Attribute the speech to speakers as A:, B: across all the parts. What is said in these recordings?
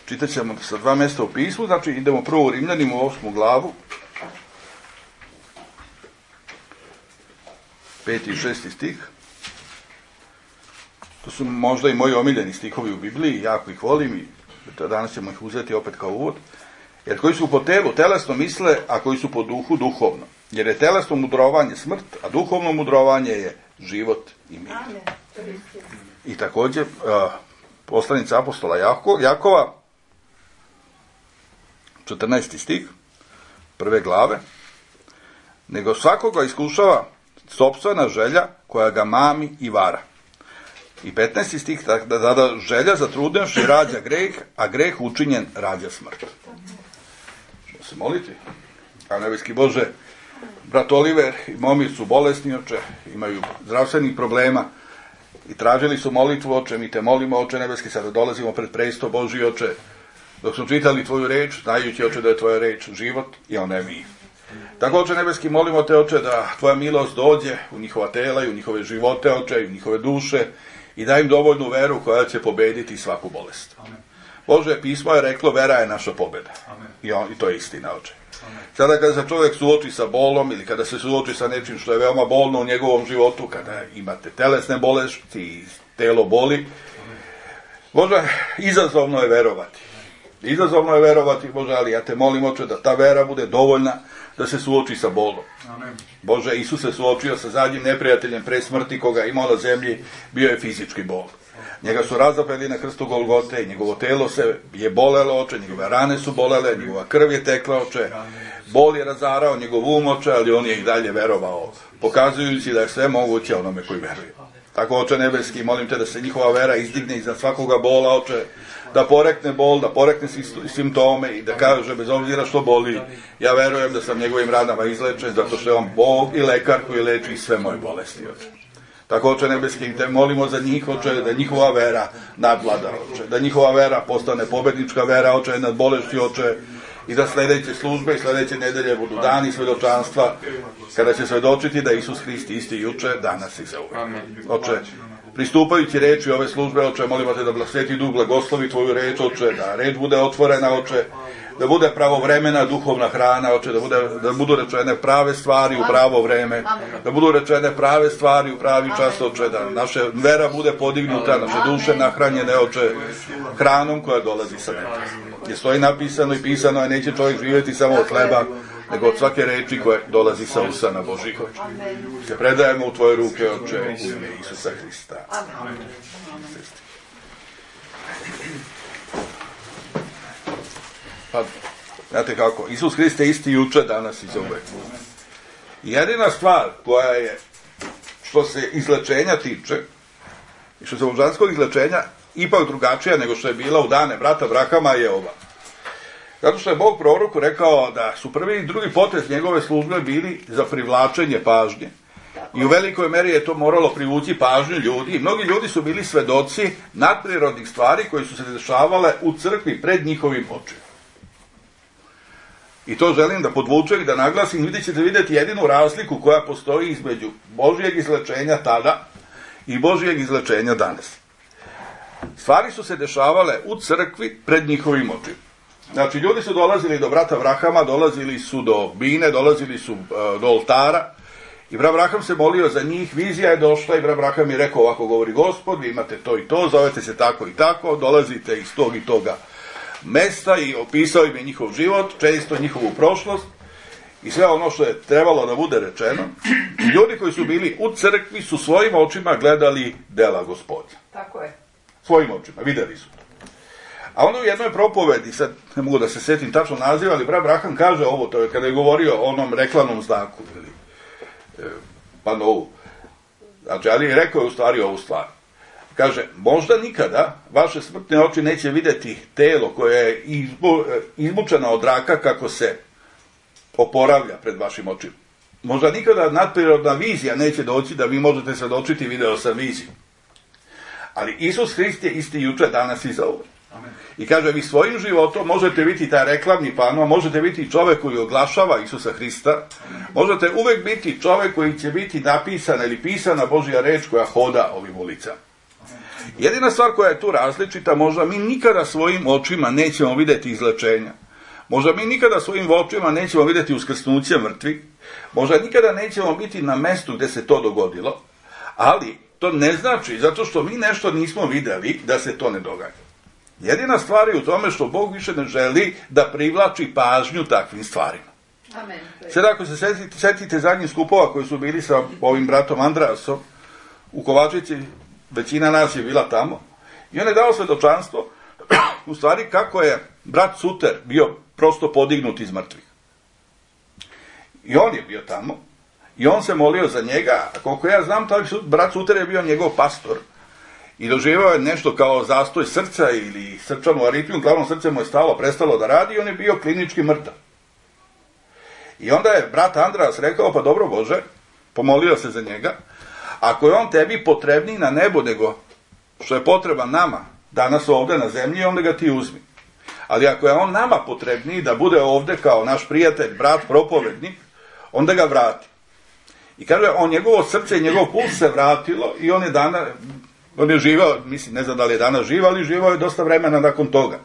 A: Čitat ćemo sa 2 mjesta u pismu, znači idemo prvo u Rimljanima u 8. glavu, 5. i 6. stih. To su možda i moji omiljeni stihovi u Bibliji, jako ih volim i danas ćemo ih uzeti opet kao uvod. Jer koji su po telu telesno misle, a koji su po duhu duhovno. Jer je telesno mudrovanje smrt, a duhovno mudrovanje je život i mir. I također poslanica apostola Jakova, 14. stih, 1. glave, nego svakoga iskušava sopstvena želja koja ga mami i vara. I 15. stih, da želja zatrudnevši rađa greh, a greh učinjen rađa smrt. Ćemo se moliti. A nebeski Bože, brat Oliver i momi su bolesni, oče, imaju zdravstvenih problema i tražili su molitvu, oče, mi te molimo, oče nebeski, sada dolazimo pred presto Božji, oče, dok smo čitali tvoju reč, znajući, oče, da je tvoja reč život i ona je mir. Tako, oče nebeski, molimo te, oče, da tvoja milost dođe u njihova tela i u njihove živote, oče, i u njihove duše i daj im dovoljnu veru koja će pobediti svaku bolest. Amen. Bože, pismo je reklo, vera je naša pobjeda. I to je istina, oče. Amen. Sada kada se čovjek suoči sa bolom ili kada se suoči sa nečim što je veoma bolno u njegovom životu, kada imate telesne bolesti i telo boli, amen, Bože, izazovno je verovati. Izazovno je verovati, Bože, ali ja te molim, oče, da ta vera bude dovoljna da se suoči sa bolom. Amen. Bože, Isus se suočio sa zadnjim neprijateljem pre smrti koga je imao na zemlji, bio je fizički bol. Njega su razapeli na krstu Golgote i njegovo telo se je bolelo, oče, njegove rane su bolele, njegova krv je tekla, oče, bol je razarao njegov um, oče, ali on je i dalje verovao, pokazujući da je sve moguće onome koji veruje. Tako, oče nebeski, molim te da se njihova vera izdigne iza svakoga bola, oče, da porekne bol, da porekne simptome i da kaže, bez obzira što boli, ja verujem da sam njegovim ranama izlečen, zato što je on Bog i lekar koji leči sve moje bolesti, oče. Tako, oče nebeski, te molimo za njih, oče, da njihova vera nadvlada, oče, da njihova vera postane pobednička vera, oče, nad bolešću, oče, i da sljedeće službe i sljedeće nedelje budu dani svedočanstva, kada će svedočiti da Isus Hrist isti juče, danas i zauvek. Oče, pristupajući reči ove službe, oče, molimo te da Sveti Duh blagoslovi tvoju reč, oče, da reč bude otvorena, oče, da bude pravovremena duhovna hrana, oče, da budu rečene prave stvari u pravo vreme, da budu rečene prave stvari u pravi čas, oče, da naša vera bude podignuta, naše duše nahranjene, oče, hranom koja dolazi sa neba. Gdje stoji napisano i pisano je, neće čovjek živjeti samo od hleba, nego od svake reči koja dolazi sa usana Božih, oče. Se predajemo u tvoje ruke, oče, u ime Isusa Hrista. Amen. Pa, znate kako, Isus Hrist je isti juče, danas i zauvek. Jedina stvar koja je, što se izlečenja tiče, i što se božanskog izlečenja, ipak drugačija nego što je bila u dane brata Abrahama, je ova. Zato što je Bog proroku rekao da su prvi i drugi potez njegove službe bili za privlačenje pažnje. I u velikoj meri je to moralo privući pažnju ljudi. I mnogi ljudi su bili svedoci nadprirodnih stvari koje su se dešavale u crkvi pred njihovim očima. I to želim da podvučem i da naglasim. Vi ćete vidjeti jedinu razliku koja postoji između Božijeg izlečenja tada i Božijeg izlečenja danas. Stvari su se dešavale u crkvi pred njihovim očima. Znači, ljudi su dolazili do brata Abrahama, dolazili su do bine, dolazili su do oltara i brat Abraham se molio za njih, vizija je došla i brat Abraham je rekao, ovako govori Gospod, vi imate to i to, zovete se tako i tako, dolazite iz tog i toga mesta i opisao im je njihov život, često njihovu prošlost i sve ono što je trebalo da bude rečeno. I ljudi koji su bili u crkvi su svojim očima gledali dela Gospodnja.
B: Tako je.
A: Svojim očima, vidjeli su to. A onda u jednoj propovedi, sad ne mogu da se setim tačno naziva, ali brat Abraham kaže ovo, to je kada je govorio o onom reklamnom znaku, ili panovu. Znači, ali rekao je u stvari ovu stvar. Kaže, možda nikada vaše smrtne oči neće vidjeti telo koje je izmučeno od raka kako se oporavlja pred vašim očima. Možda nikada nadprirodna vizija neće doći da vi možete svedočiti video sa vizijom. Ali Isus Hrist je isti juče, danas i zauvek. I kaže, vi svojim životom možete biti taj reklamni pano, možete biti čovjek koji oglašava Isusa Hrista, možete uvek biti čovjek koji će biti napisana ili pisana Božja reč koja hoda ovim ulicama. Jedina stvar koja je tu različita, možda mi nikada svojim očima nećemo vidjeti izlečenja. Možda mi nikada svojim očima nećemo vidjeti uskrsnuće mrtvih. Možda nikada nećemo biti na mjestu gdje se to dogodilo. Ali to ne znači, zato što mi nešto nismo vidjeli, da se to ne događa. Jedina stvar je u tome što Bog više ne želi da privlači pažnju takvim stvarima.
B: Amen.
A: Sad ako se sjetite zadnjih skupova koji su bili sa ovim bratom Andreasom u Kovačici, većina nas je bila tamo, i on je dao svjedočanstvo u stvari kako je brat Suter bio prosto podignut iz mrtvih. I on je bio tamo i on se molio za njega, a koliko ja znam, taj brat Suter je bio njegov pastor i doživio je nešto kao zastoj srca ili srčanu aritmiju, uglavnom srce mu je prestalo da radi i on je bio klinički mrtav. I onda je brat Andreas rekao, pa dobro Bože, pomolio se za njega, ako je on tebi potrebniji na nebu nego što je potreban nama danas ovdje na zemlji, onda ga ti uzmi. Ali ako je on nama potrebniji da bude ovdje kao naš prijatelj, brat, propovednik, onda ga vrati. I kaže, njegovo srce i njegov puls se vratilo i on je živao, mislim, ne znam da li je danas živ, ali živao je dosta vremena nakon toga.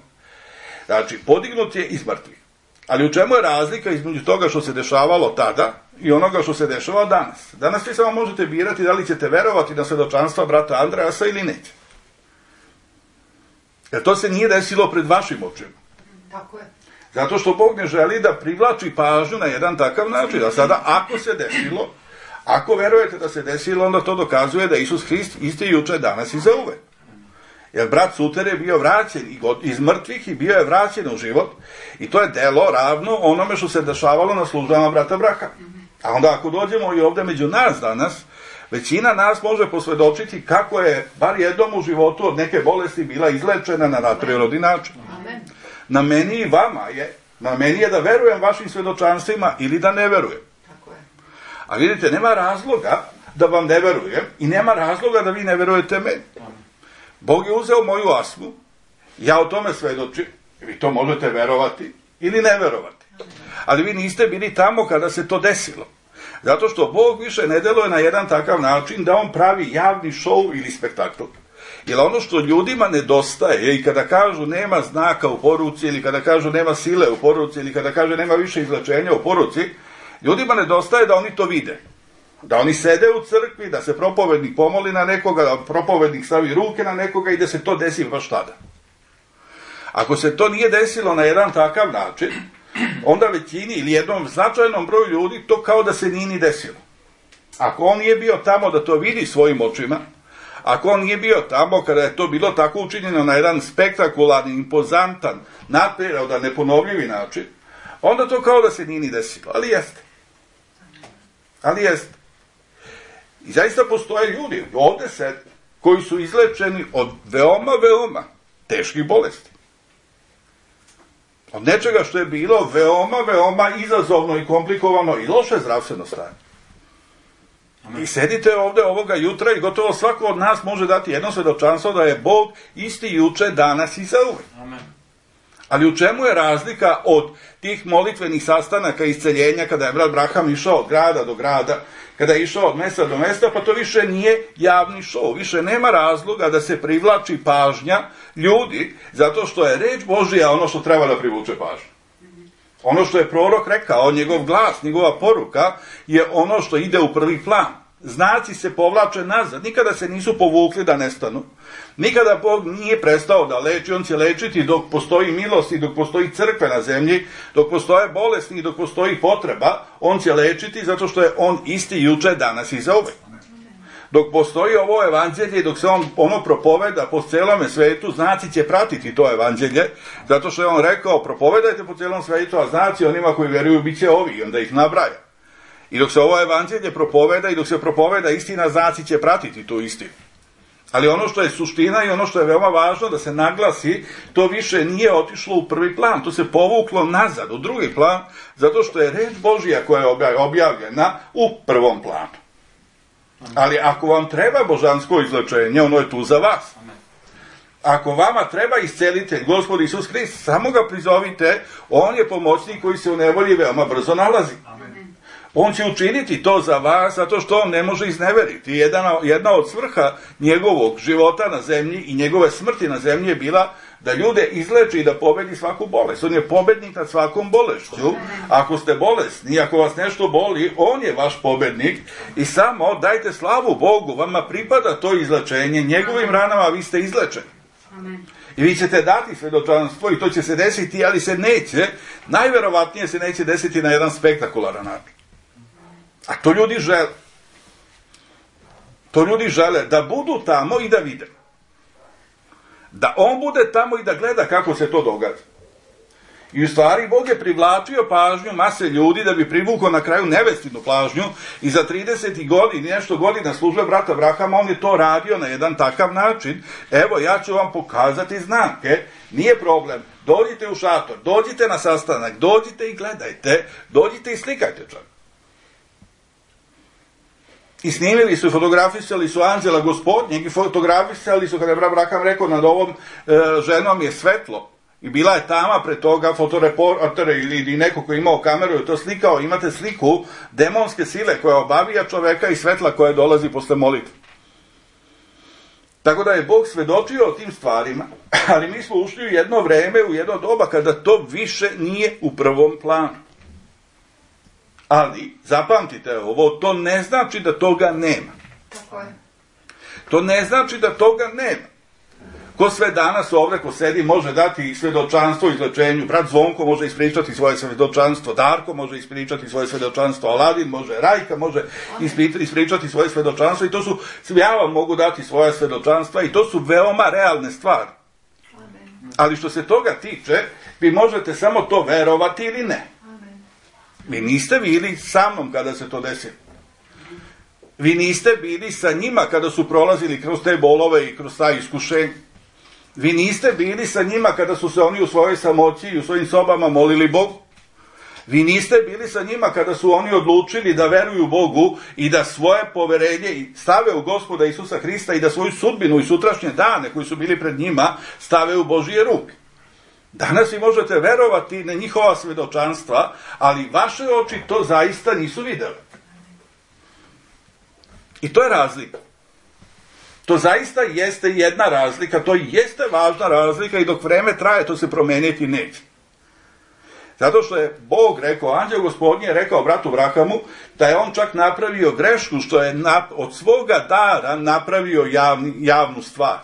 A: Znači, podignut je iz mrtvih. Ali u čemu je razlika između toga što se dešavalo tada i onoga što se dešava danas? Danas vi samo možete birati da li ćete verovati na svjedočanstva brata Andreasa ili neće. Jer to se nije desilo pred vašim očima.
B: Tako je.
A: Zato što Bog ne želi da privlači pažnju na jedan takav način. A sada, ako se desilo, ako verujete da se desilo, onda to dokazuje da Isus Hrist isti juče, danas i zauvek. Jer brat Suter je bio vraćen iz mrtvih i bio je vraćen u život. I to je delo ravno onome što se dešavalo na službama brata Braha. A onda ako dođemo i ovdje među nas danas, većina nas može posvjedočiti kako je bar jednom u životu od neke bolesti bila izlečena na prirodni način. Na meni i vama je, na meni je da verujem vašim svjedočanstvima ili da ne verujem. A vidite, nema razloga da vam ne verujem i nema razloga da vi ne verujete meni. Bog je uzeo moju astmu, ja o tome svjedočim, vi to možete verovati ili ne verovati. Ali vi niste bili tamo kada se to desilo. Zato što Bog više ne deluje na jedan takav način da on pravi javni šou ili spektakl. Jer ono što ljudima nedostaje i kada kažu nema znaka u poruci ili kada kažu nema sile u poruci ili kada kaže nema više izlečenja u poruci, ljudima nedostaje da oni to vide. Da oni sede u crkvi, da se propovednik pomoli na nekoga, da propovednik stavi ruke na nekoga i da se to desi baš tada. Ako se to nije desilo na jedan takav način, onda većini ili jednom značajnom broju ljudi to kao da se nije ni desilo. Ako on nije bio tamo da to vidi svojim očima, ako on nije bio tamo kada je to bilo tako učinjeno na jedan spektakularni, impozantan, nadprirodan, neponovljivi način, onda to kao da se nije ni desilo. Ali jeste. Ali jeste. I zaista postoje ljudi ovdje sede koji su izlečeni od veoma, veoma teških bolesti. Od nečega što je bilo veoma, veoma izazovno i komplikovano i loše zdravstveno stanje. I sedite ovdje ovoga jutra i gotovo svako od nas može dati jedno svjedočanstvo da je Bog isti juče, danas i zauvek. Ali u čemu je razlika od tih molitvenih sastanaka isceljenja kada je brat Braham išao od grada do grada, kada je išao od mjesta do mjesta, pa to više nije javni šov. Više nema razloga da se privlači pažnja ljudi, zato što je reč Božija ono što treba da privuče pažnju. Ono što je prorok rekao, njegov glas, njegova poruka, je ono što ide u prvi plan. Znaci se povlače nazad, nikada se nisu povukli da nestanu. Nikada Bog nije prestao da leči, on će lečiti dok postoji milost i dok postoji crkve na zemlji, dok postoje bolesti i dok postoji potreba, on će lečiti zato što je on isti juče, danas i zauvek. Dok postoji ovo evanđelje i dok se ono propoveda po celome svetu, znaci će pratiti to evanđelje, zato što je on rekao, propovedajte po celom svetu, a znaci onima koji vjeruju bit će ovi, i onda ih nabraja. I dok se ovo evanđelje propoveda i dok se propoveda istina, znaci će pratiti tu istinu. Ali ono što je suština i ono što je veoma važno da se naglasi, to više nije otišlo u prvi plan, to se povuklo nazad u drugi plan, zato što je reč Božja koja je objavljena u prvom planu. Ali ako vam treba božansko izlečenje, ono je tu za vas. Ako vama treba iscelitelj, Gospod Isus Hrist, samo ga prizovite, on je pomoćnik koji se u nevolji veoma brzo nalazi. On će učiniti to za vas zato što on ne može izneveriti. Jedna od svrha njegovog života na zemlji i njegove smrti na zemlji je bila da ljude izleči i da pobedi svaku bolest. On je pobednik nad svakom bolešću. Ako ste bolesni, ako vas nešto boli, on je vaš pobednik i samo dajte slavu Bogu, vama pripada to izlečenje, njegovim ranama vi ste izlečeni.
B: Amen.
A: I vi ćete dati svedočanstvo i to će se desiti, ali se neće, najverovatnije se neće desiti na jedan spektakularan način. A to ljudi žele. To ljudi žele da budu tamo i da vide. Da on bude tamo i da gleda kako se to događa. I u stvari Bog je privlačio pažnju mase ljudi da bi privukao na kraju nevestinu pažnju i za 30 godina, nešto godina službe brata Abrahama, on je to radio na jedan takav način. Evo, ja ću vam pokazati znake, nije problem, dođite u šator, dođite na sastanak, dođite i gledajte, dođite i slikajte čak. I snimili su, fotografisali su anđela Gospodnjeg i fotografisali su, kada je Abraham rekao, nad ovom ženom je svetlo. I bila je tama pred toga, fotoreporter ili neko ko je imao kameru i to slikao, imate sliku demonske sile koja obavija čoveka i svetla koja dolazi posle molitve. Tako da je Bog svedočio o tim stvarima, ali mi smo ušli u jedno vreme, u jedno doba kada to više nije u prvom planu. Ali, zapamtite ovo, to ne znači da toga nema.
B: Tako je.
A: To ne znači da toga nema. Ko sve danas ovdje, ko sedi, može dati svedočanstvo izlečenju. Brat Zvonko može ispričati svoje svedočanstvo, Darko može ispričati svoje svedočanstvo, Aladin može, Rajka može ispričati svoje svedočanstvo i to su, ja vam mogu dati svoja svedočanstva i to su veoma realne stvari. Ali što se toga tiče, vi možete samo to verovati ili ne. Vi niste bili sa mnom kada se to desilo. Vi niste bili sa njima kada su prolazili kroz te bolove i kroz ta iskušenja. Vi niste bili sa njima kada su se oni u svojoj samoći i u svojim sobama molili Bogu. Vi niste bili sa njima kada su oni odlučili da veruju Bogu i da svoje poverenje stave u Gospoda Isusa Hrista i da svoju sudbinu i sutrašnje dane koji su bili pred njima stave u Božije ruke. Danas vi možete verovati na njihova svedočanstva, ali vaše oči to zaista nisu vidjeli. I to je razlika. To zaista jeste jedna razlika, to jeste važna razlika i dok vreme traje to se promeniti neće. Zato što je Bog rekao, anđeo Gospodnji je rekao bratu Abrahamu da je on čak napravio grešku što je od svoga dara napravio javnu stvar.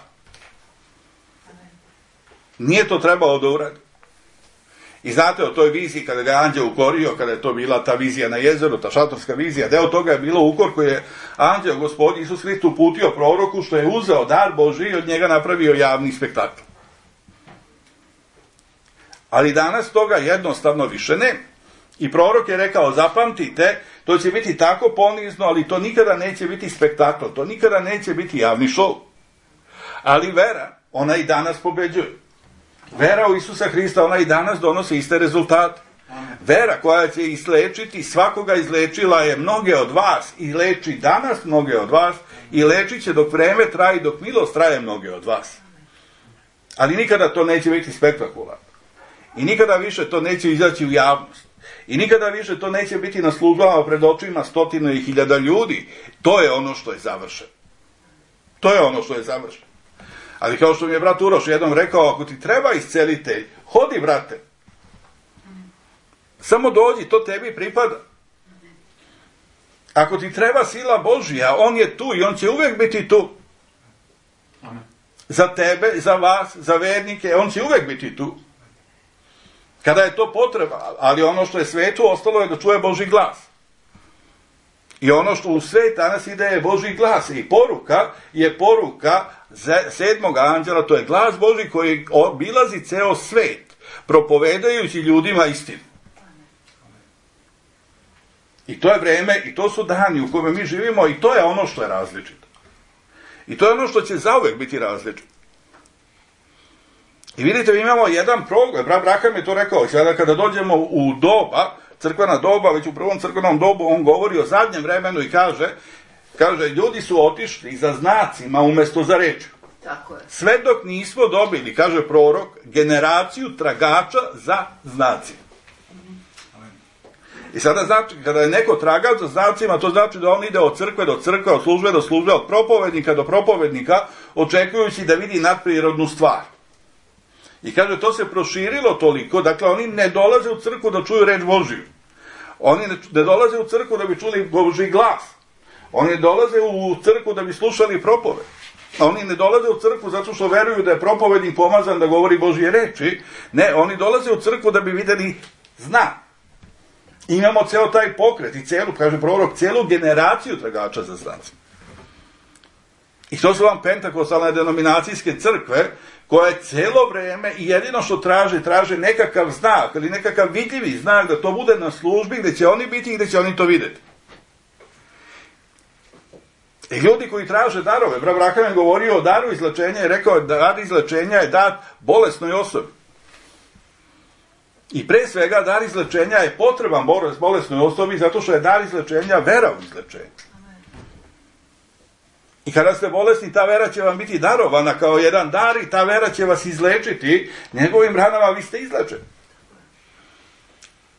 A: Nije to trebalo da uradi. I znate o toj viziji kada ga je anđeo ukorio, kada je to bila ta vizija na jezeru, ta šatorska vizija, deo toga je bilo ukor koji je anđeo Gospodin Isus Hrist uputio proroku što je uzeo dar Božji i od njega napravio javni spektakl. Ali danas toga jednostavno više nema. I prorok je rekao, zapamtite, to će biti tako ponizno, ali to nikada neće biti spektakl, to nikada neće biti javni šou. Ali vera, ona i danas pobeđuje. Vera u Isusa Hrista, ona i danas donosi iste rezultate. Vera koja će izlečiti, svakoga izlečila je mnoge od vas i leči danas mnoge od vas i lečit će dok vreme traje i dok milost traje mnoge od vas. Ali nikada to neće biti spektakularno. I nikada više to neće izaći u javnost. I nikada više to neće biti na službama pred očima 100.000 ljudi. To je ono što je završeno. To je ono što je završeno. Ali kao što mi je brat Uroš jednom rekao, ako ti treba iscelitelj, hodi brate. Samo dođi, to tebi pripada. Ako ti treba sila Božja, on je tu i on će uvijek biti tu. Za tebe, za vas, za vernike, on će uvijek biti tu. Kada je to potreba, ali ono što je svetu ostalo je da čuje Božji glas. I ono što u svet danas ide je Božji glas. I poruka je poruka 7. anđela, to je glas Božji koji obilazi ceo svet, propovedajući ljudima istinu. I to je vreme, i to su dani u kome mi živimo, i to je ono što je različito. I to je ono što će zauvek biti različito. I vidite, mi imamo jedan problem, brat Abraham je to rekao, sada kada dođemo u doba, crkvena doba, već u prvom crkvenom dobu, on govori o zadnjem vremenu i kaže, ljudi su otišli za znacima umjesto za reči.
B: Tako je.
A: Sve dok nismo dobili, kaže prorok, generaciju tragača za znacima. I sada znači, kada je neko tragač za znacima, to znači da on ide od crkve do crkve, od službe do službe, od propovednika do propovednika, očekujući da vidi nadprirodnu stvar. I kaže, to se proširilo toliko, dakle, oni ne dolaze u crkvu da čuju reč Božiju. Oni ne dolaze u crkvu da bi čuli Božji glas. Oni ne dolaze u crkvu da bi slušali propoved. Oni ne dolaze u crkvu zato što veruju da je propovednik pomazan da govori Božje reči. Ne, oni dolaze u crkvu da bi vidjeli znak. Imamo ceo taj pokret i celu, kaže prorok, celu generaciju tragača za znacima. I to su vam pentakostalne denominacijske crkve koje celo vreme i jedino što traže nekakav znak ili nekakav vidljivi znak da to bude na službi gdje će oni biti i gdje će oni to vidjeti. I ljudi koji traže darove, brat Braham je govorio o daru izlečenja i rekao da dar izlečenja je dat bolesnoj osobi. I pre svega dar izlečenja je potreban bolesnoj osobi zato što je dar izlečenja vera u izlečenju. I kada ste bolesni, ta vera će vam biti darovana kao jedan dar i ta vera će vas izlečiti. Njegovim ranama vi ste izlečeni.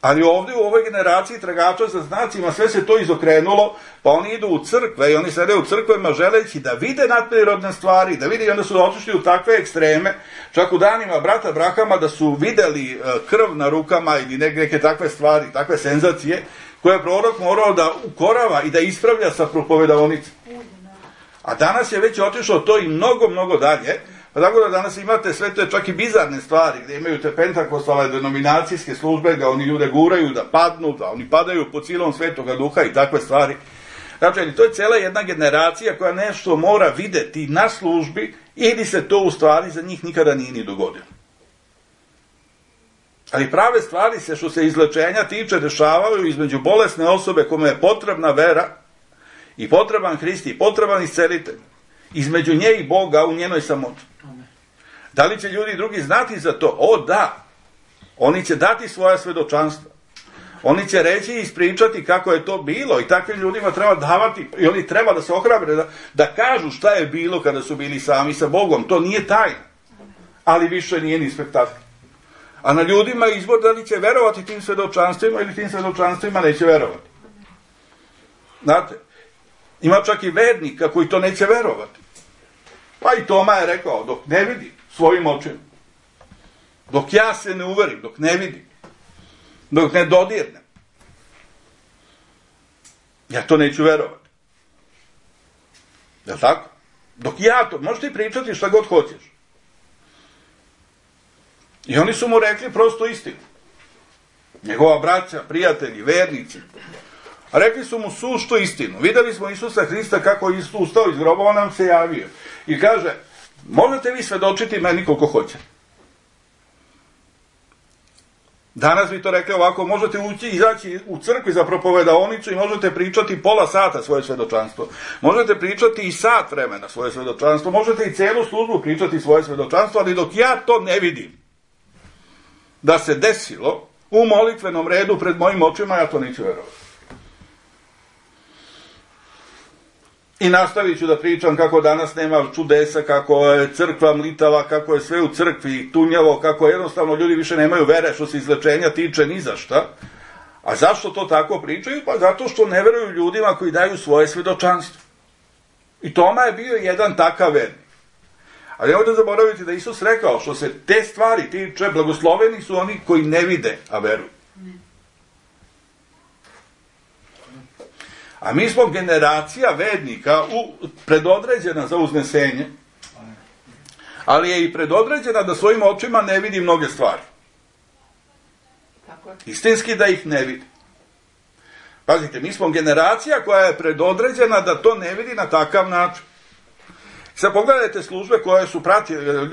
A: Ali ovdje u ovoj generaciji tragača za znacima sve se to izokrenulo, pa oni idu u crkve i oni sede u crkvama želeći da vide nadprirodne stvari, da vide i onda su otišli u takve ekstreme, čak u danima brata Brahama da su vidjeli krv na rukama ili neke takve stvari, takve senzacije, koje je prorok morao da ukorava i da ispravlja sa propovedaonicom. A danas je već otišlo to i mnogo, mnogo dalje, pa tako da danas imate sve te čak i bizarne stvari, gdje imaju te pentakostalne denominacijske službe, da oni ljude guraju da padnu, da oni padaju po silom Svetoga Duha i takve stvari. Znači, to je cijela jedna generacija koja nešto mora vidjeti na službi ili se to u stvari za njih nikada nije ni dogodilo. Ali prave stvari se što se izlečenja tiče dešavaju između bolesne osobe kome je potrebna vera i potreban Hrist i potreban iscelitelj. Između nje i Boga u njenoj samoći. Da li će ljudi drugi znati za to? O da! Oni će dati svoja svedočanstva. Oni će reći i ispričati kako je to bilo i takvim ljudima treba davati i oni treba da se ohrabre da kažu šta je bilo kada su bili sami sa Bogom. To nije tajna. Ali više nije ni spektakl. A na ljudima je izbor da li će verovati tim svedočanstvima ili tim svedočanstvima neće verovati. Znate, ima čak i vernika koji to neće verovati. Pa i Toma je rekao, dok ne vidi svojim očima, dok ja se ne uverim, dok ne vidim, dok ne dodirnem, ja to neću verovati. Je li tako? Dok ja to, možeš ti pričati šta god hoćeš. I oni su mu rekli prosto istinu. Njegova braća, prijatelji, vernici. A rekli su mu suštu istinu. Vidjeli smo Isusa Hrista kako je ustao iz groba, on nam se javio. I kaže, možete vi svedočiti meni koliko hoće. Danas bi to rekli ovako, možete izaći u crkvi za propovedaonicu i možete pričati pola sata svoje svedočanstvo. Možete pričati i sat vremena svoje svedočanstvo. Možete i celu službu pričati svoje svedočanstvo, ali dok ja to ne vidim da se desilo u molitvenom redu pred mojim očima, ja to neću verovati. I nastavit ću da pričam kako danas nema čudesa, kako je crkva mlitava, kako je sve u crkvi tunjavo, kako jednostavno ljudi više nemaju vere što se izlečenja tiče ni za šta. A zašto to tako pričaju? Pa zato što ne veruju ljudima koji daju svoje svedočanstvo. I Toma je bio jedan takav vernik. Ali nemojte zaboraviti da Isus rekao, što se te stvari tiče, blagosloveni su oni koji ne vide, a veruju. A mi smo generacija vernika predodređena za uznesenje, ali je i predodređena da svojim očima ne vidi mnoge stvari. Istinski da ih ne vidi. Pazite, mi smo generacija koja je predodređena da to ne vidi na takav način. Sad pogledajte službe koje su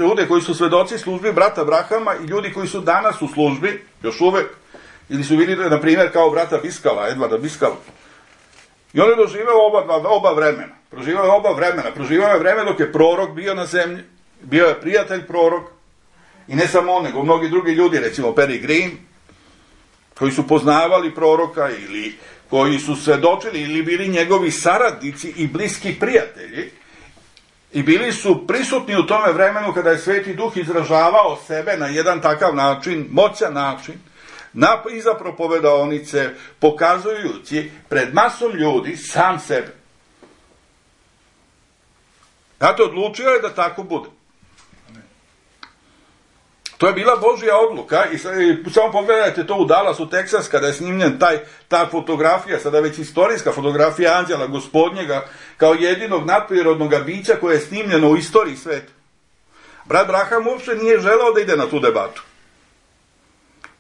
A: ljude koji su svedoci službi brata Brahama i ljudi koji su danas u službi, još uvek, ili su vidjeli, na primjer, kao brata Biskala, Edvarda Biskala. I on je doživao oba vremena. Proživao je vreme dok je prorok bio na zemlji, bio je prijatelj prorok, i ne samo on, nego mnogi drugi ljudi, recimo Perry Green, koji su poznavali proroka ili koji su svedočili ili bili njegovi saradnici i bliski prijatelji i bili su prisutni u tome vremenu kada je Sveti Duh izražavao sebe na jedan takav način, moćan način, iza propovedaonice, pokazujući pred masom ljudi sam sebe. Znate, odlučio je da tako bude. To je bila Božja odluka i samo pogledajte to u Dallasu, Texas, kada je snimljen ta fotografija, sada već istorijska fotografija anđela Gospodnjega kao jedinog nadprirodnog bića koje je snimljeno u istoriji sveta. Brat Branham uopšte nije želeo da ide na tu debatu.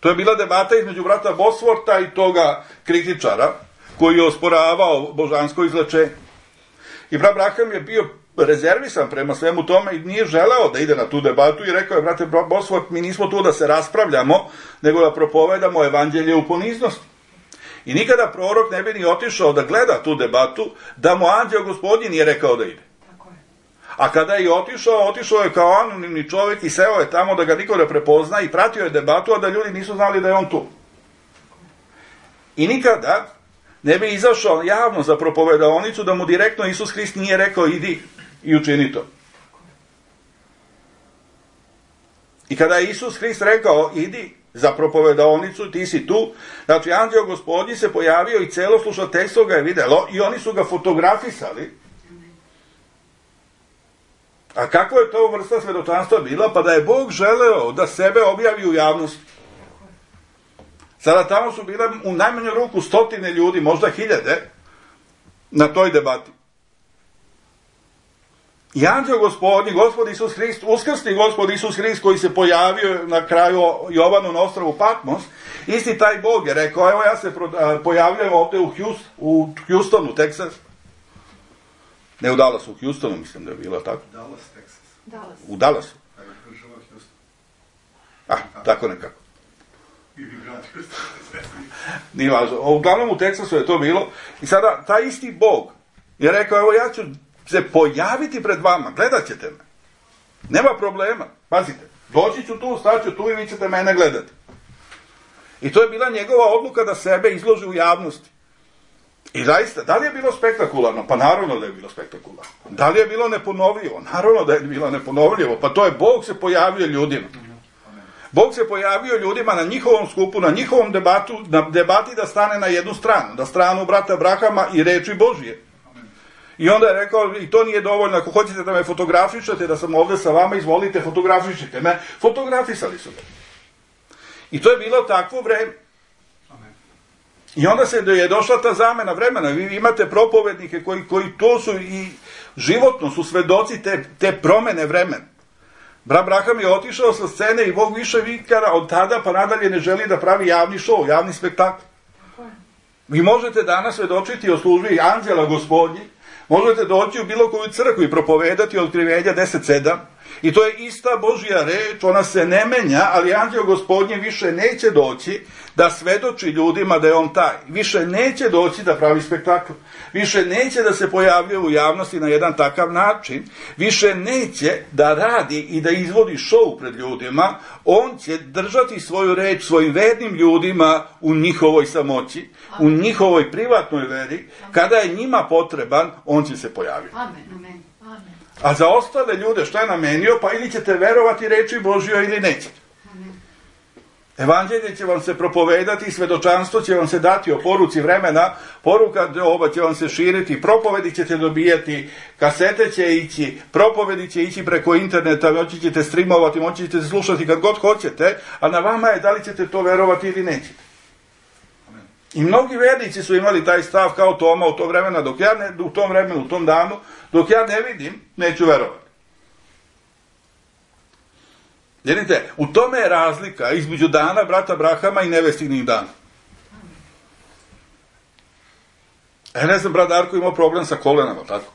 A: To je bila debata između brata Bosworta i toga kritičara koji je osporavao božansko izlečenje. I brat Branham je bio rezervisan prema svemu tome i nije želeo da ide na tu debatu i rekao je, brate Bosworth, mi nismo tu da se raspravljamo, nego da propovedamo evanđelje u poniznosti. I nikada prorok ne bi ni otišao da gleda tu debatu, da mu anđeo Gospodnji nije rekao da ide. A kada je otišao je kao anonimni čovjek i seo je tamo da ga niko ne prepozna i pratio je debatu, a da ljudi nisu znali da je on tu. I nikada ne bi izašao javno za propovedaonicu da mu direktno Isus Hrist nije rekao idi i učini to. I kada je Isus Hrist rekao idi za propovedaonicu, ti si tu, znači anđeo Gospodnji se pojavio i celo slušateljstvo ga je videlo i oni su ga fotografisali. A kako je to vrsta svedočanstva bila? Pa da je Bog želeo da sebe objavi u javnosti. Sada tamo su bile u najmanju ruku 100 ljudi, možda 1000 na toj debati. I anđeo Gospodnji, Gospod Isus Hrist, uskrsni Gospod Isus Hrist koji se pojavio na kraju Jovanu na ostrvu Patmos, isti taj Bog je rekao, evo ja se pojavljam ovdje u Houstonu, Texas. Ne u Dallasu, u Houstonu mislim da je bilo tako.
C: Dallas, Texas.
B: Dallas.
A: U Dallasu. Tako nekako. Nije važno. Uglavnom u Teksasu je to bilo. I sada taj isti Bog je rekao, evo ja ću se pojaviti pred vama, gledat ćete me. Nema problema. Pazite, doći ću tu, staću tu i vi ćete mene gledati. I to je bila njegova odluka da sebe izloži u javnosti. I zaista, da li je bilo spektakularno? Pa naravno da je bilo spektakularno. Da li je bilo neponovljivo? Naravno da je bilo neponovljivo. Pa to je Bog se pojavio ljudima. Bog se pojavio ljudima na njihovom skupu, na njihovom debati da stane na jednu stranu. Da stranu brata Brahama i reči Božije. I onda je rekao, i to nije dovoljno, ako hoćete da me fotografišete, da sam ovdje sa vama, izvolite, fotografišite me. Fotografisali su me. I to je bilo takvo vreme. I onda je došla ta zamena vremena. Vi imate propovednike koji to su i životno su svedoci te promene vremena. Brat Braham je otišao sa scene i Bog više vikara od tada pa nadalje ne želi da pravi javni show, javni spektakl. Vi možete danas svedočiti o službi anđela Gospodnji, možete doći u bilo koju crkvu i propovedati Otkrivenja 10:7 i to je ista Božja reč, ona se ne menja, ali anđeo Gospodnji više neće doći da svedoči ljudima da je on taj. Više neće doći da pravi spektakl. Više neće da se pojavljuje u javnosti na jedan takav način. Više neće da radi i da izvodi show pred ljudima. On će držati svoju reč svojim vernim ljudima u njihovoj samoći, u njihovoj privatnoj veri. Kada je njima potreban, on će se pojaviti.
B: Amen.
A: A za ostale ljude što je namenio, pa ili ćete verovati reči Božjoj ili nećete. Evanđelje će vam se propovedati, svedočanstvo će vam se dati o poruci vremena, poruka ova će vam se širiti, propovedi ćete dobijati, kasete će ići, propovedi će ići preko interneta, moći ćete streamovati, moći ćete slušati kad god hoćete, a na vama je da li ćete to verovati ili nećete. I mnogi vernici su imali taj stav kao Toma u to vremena, u tom vremenu, u tom danu, dok ja ne vidim, neću verovati. Vidite, u tome je razlika između dana brata Brahama i nevestinih dana. Ne znam, brat Darko imao problem sa kolenama, tako?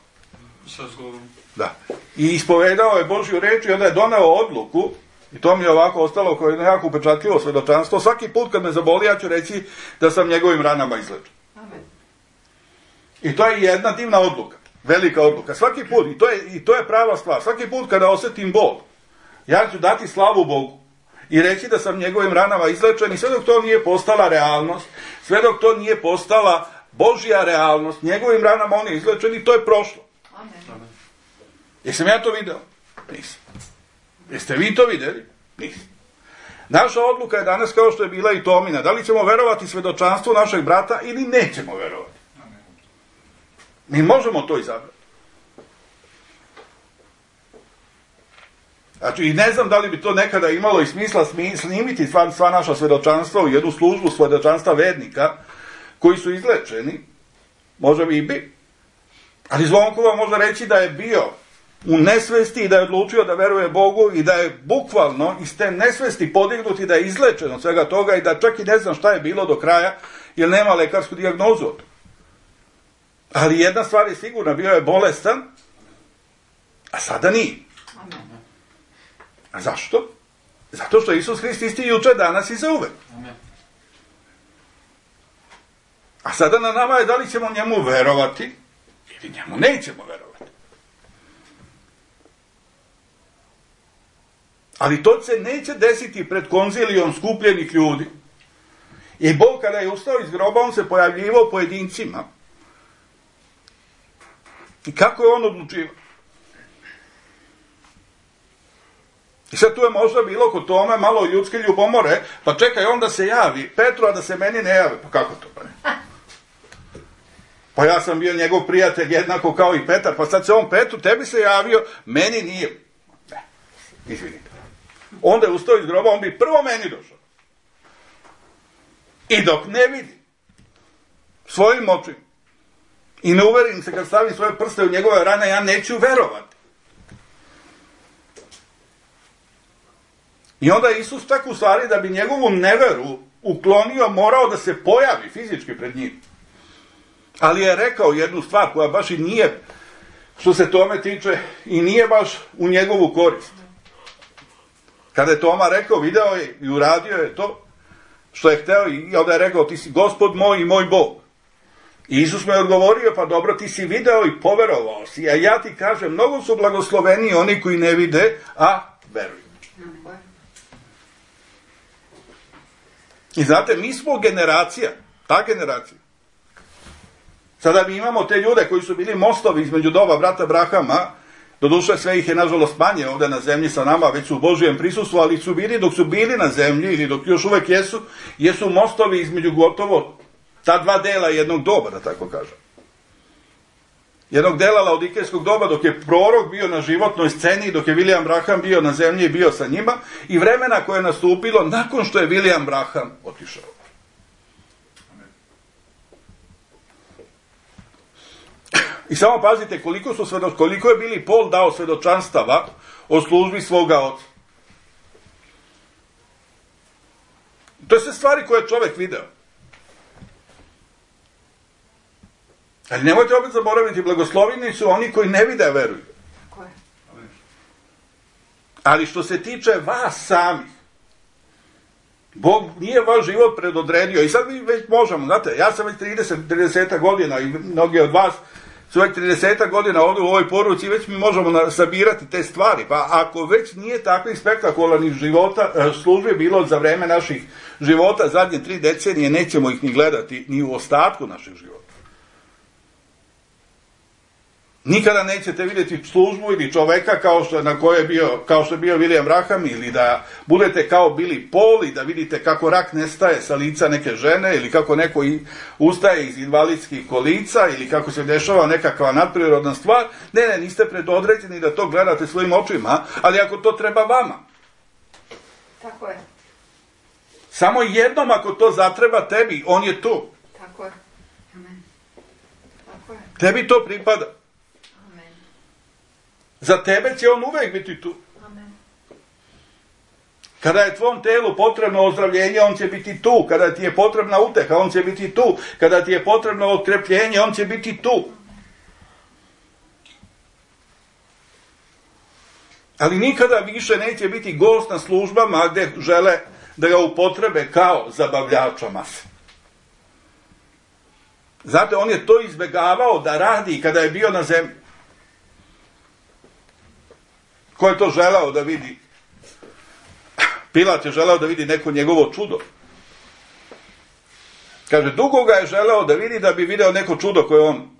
C: Sa zglobom.
A: Da. I ispovedao je Božju reč i onda je doneo odluku, i to mi je ovako ostalo kao jedno jako upečatljivo svedočanstvo. Svaki put kad me zaboli, ja ću reći da sam njegovim ranama izlečen. I to je jedna divna odluka, velika odluka. Svaki put, i to je prava stvar, svaki put kada osjetim bol, ja ću dati slavu Bogu i reći da sam njegovim ranama izlečen i sve dok to nije postala realnost, sve dok to nije postala Božja realnost, njegovim ranama on je izlečen i to je prošlo.
B: Amen.
A: Jesam ja to video? Nisam. Jeste vi to vidjeli? Nisam. Naša odluka je danas kao što je bila i Tomina. Da li ćemo verovati svedočanstvu našeg brata ili nećemo verovati? Mi možemo to izabrati. Znači, i ne znam da li bi to nekada imalo i smisla snimiti sva naša svedočanstva u jednu službu svedočanstva vernika koji su izlečeni. Možda bi i bi. Ali Zvonkova može reći da je bio u nesvesti i da je odlučio da veruje Bogu i da je bukvalno iz te nesvesti podignut i da je izlečen od svega toga i da čak i ne znam šta je bilo do kraja jer nema lekarsku dijagnozu od toga. Ali jedna stvar je sigurna, bio je bolestan, a sada nije. A zašto? Zato što Isus Hrist isti juče, danas i zauvek. A sada na nama je da li ćemo njemu verovati ili njemu nećemo verovati. Ali to se neće desiti pred konzilijom skupljenih ljudi. I Bog kada je ustao iz groba, on se pojavljivao pojedincima. I kako je on odlučivao? I sad tu je možda bilo kod tome malo ljudske ljubomore, pa čekaj, onda se javi Petru, a da se meni ne javi. Pa kako to? Pa ja sam bio njegov prijatelj jednako kao i Petar, pa sad se on Petru, tebi se javio, meni nije. Ne, izvinite. Onda je ustao iz groba, on bi prvo meni došao. I dok ne vidi svojim očima i ne uverim se kad stavim svoje prste u njegove rane, ja neću verovati. I onda je Isus tako u stvari da bi njegovu neveru uklonio, morao da se pojavi fizički pred njim. Ali je rekao jednu stvar koja baš i nije, što se tome tiče, i nije baš u njegovu korist. Kada je Toma rekao, video je i uradio je to što je hteo i onda je rekao, ti si Gospod moj i moj Bog. I Isus mu je odgovorio, pa dobro, ti si video i poverovao si, a ja ti kažem, mnogo su blagosloveni oni koji ne vide, a veruju. I znate, mi smo generacija, ta generacija. Sada mi imamo te ljude koji su bili mostovi između doba brata Abrahama, doduše sve ih je nažalost manje ovdje na zemlji sa nama, već su u Božijem prisustvu, ali su bili dok su bili na zemlji ili dok još uvek jesu mostovi između gotovo ta dva dela jednog doba, da tako kažem. Jednog dela laodikejskog doba dok je prorok bio na životnoj sceni, dok je William Branham bio na zemlji i bio sa njima, i vremena koje je nastupilo nakon što je William Branham otišao. I samo pazite koliko je Billy Paul dao svedočanstava o službi svoga oca. To je sve stvari koje je čovjek video. Ali nemojte opet zaboraviti, blagosloveni su oni koji ne vide, veruju. Ali što se tiče vas samih, Bog nije vaš život predodredio. I sad mi već možemo, znate, ja sam već 30 godina i mnogi od vas su već 30 godina ovdje u ovoj poruci i već mi možemo sabirati te stvari. Pa ako već nije takvih spektakularnih službi bilo za vreme naših života, zadnje 3 decenije, nećemo ih ni gledati ni u ostatku našeg života. Nikada nećete vidjeti službu ili čoveka kao što je bio William Branham, ili da budete kao Billy Paul i da vidite kako rak nestaje sa lica neke žene, ili kako neko ustaje iz invalidskih kolica, ili kako se dešava nekakva nadprirodna stvar. Ne, niste predodređeni da to gledate svojim očima, ali ako to treba vama.
B: Tako je.
A: Samo jednom ako to zatreba tebi, on je tu.
B: Tako je. Amen. Tako je.
A: Tebi to pripada. Za tebe će on uvek biti tu.
B: Amen.
A: Kada je tvom telu potrebno ozdravljenje, on će biti tu. Kada ti je potrebna uteha, on će biti tu. Kada ti je potrebno otkrepljenje, on će biti tu. Ali nikada više neće biti gost na službama gdje žele da ga upotrebe kao zabavljača mase. Znate, on je to izbegavao da radi kada je bio na zemlji. Ko je to želeo da vidi? Pilat je želeo da vidi neko njegovo čudo. Kaže, dugo ga je želeo da vidi da bi video neko čudo koje on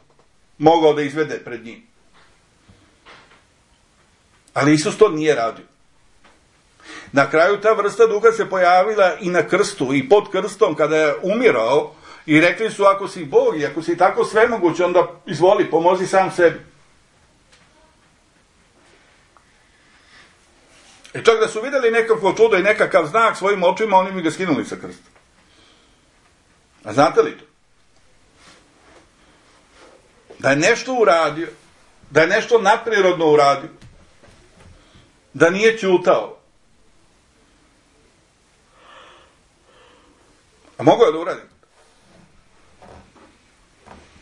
A: mogao da izvede pred njim. Ali Isus to nije radio. Na kraju ta vrsta duha se pojavila i na krstu i pod krstom kada je umirao i rekli su ako si Bog i ako si tako svemoguć, onda izvoli, pomozi sam sebi. I čak da su vidjeli nekakvo čudo i nekakav znak svojim očima, oni mi ga skinuli sa krsta. A znate li to? Da je nešto uradio, da je nešto nadprirodno uradio, da nije ćutao. A mogao je da uradi?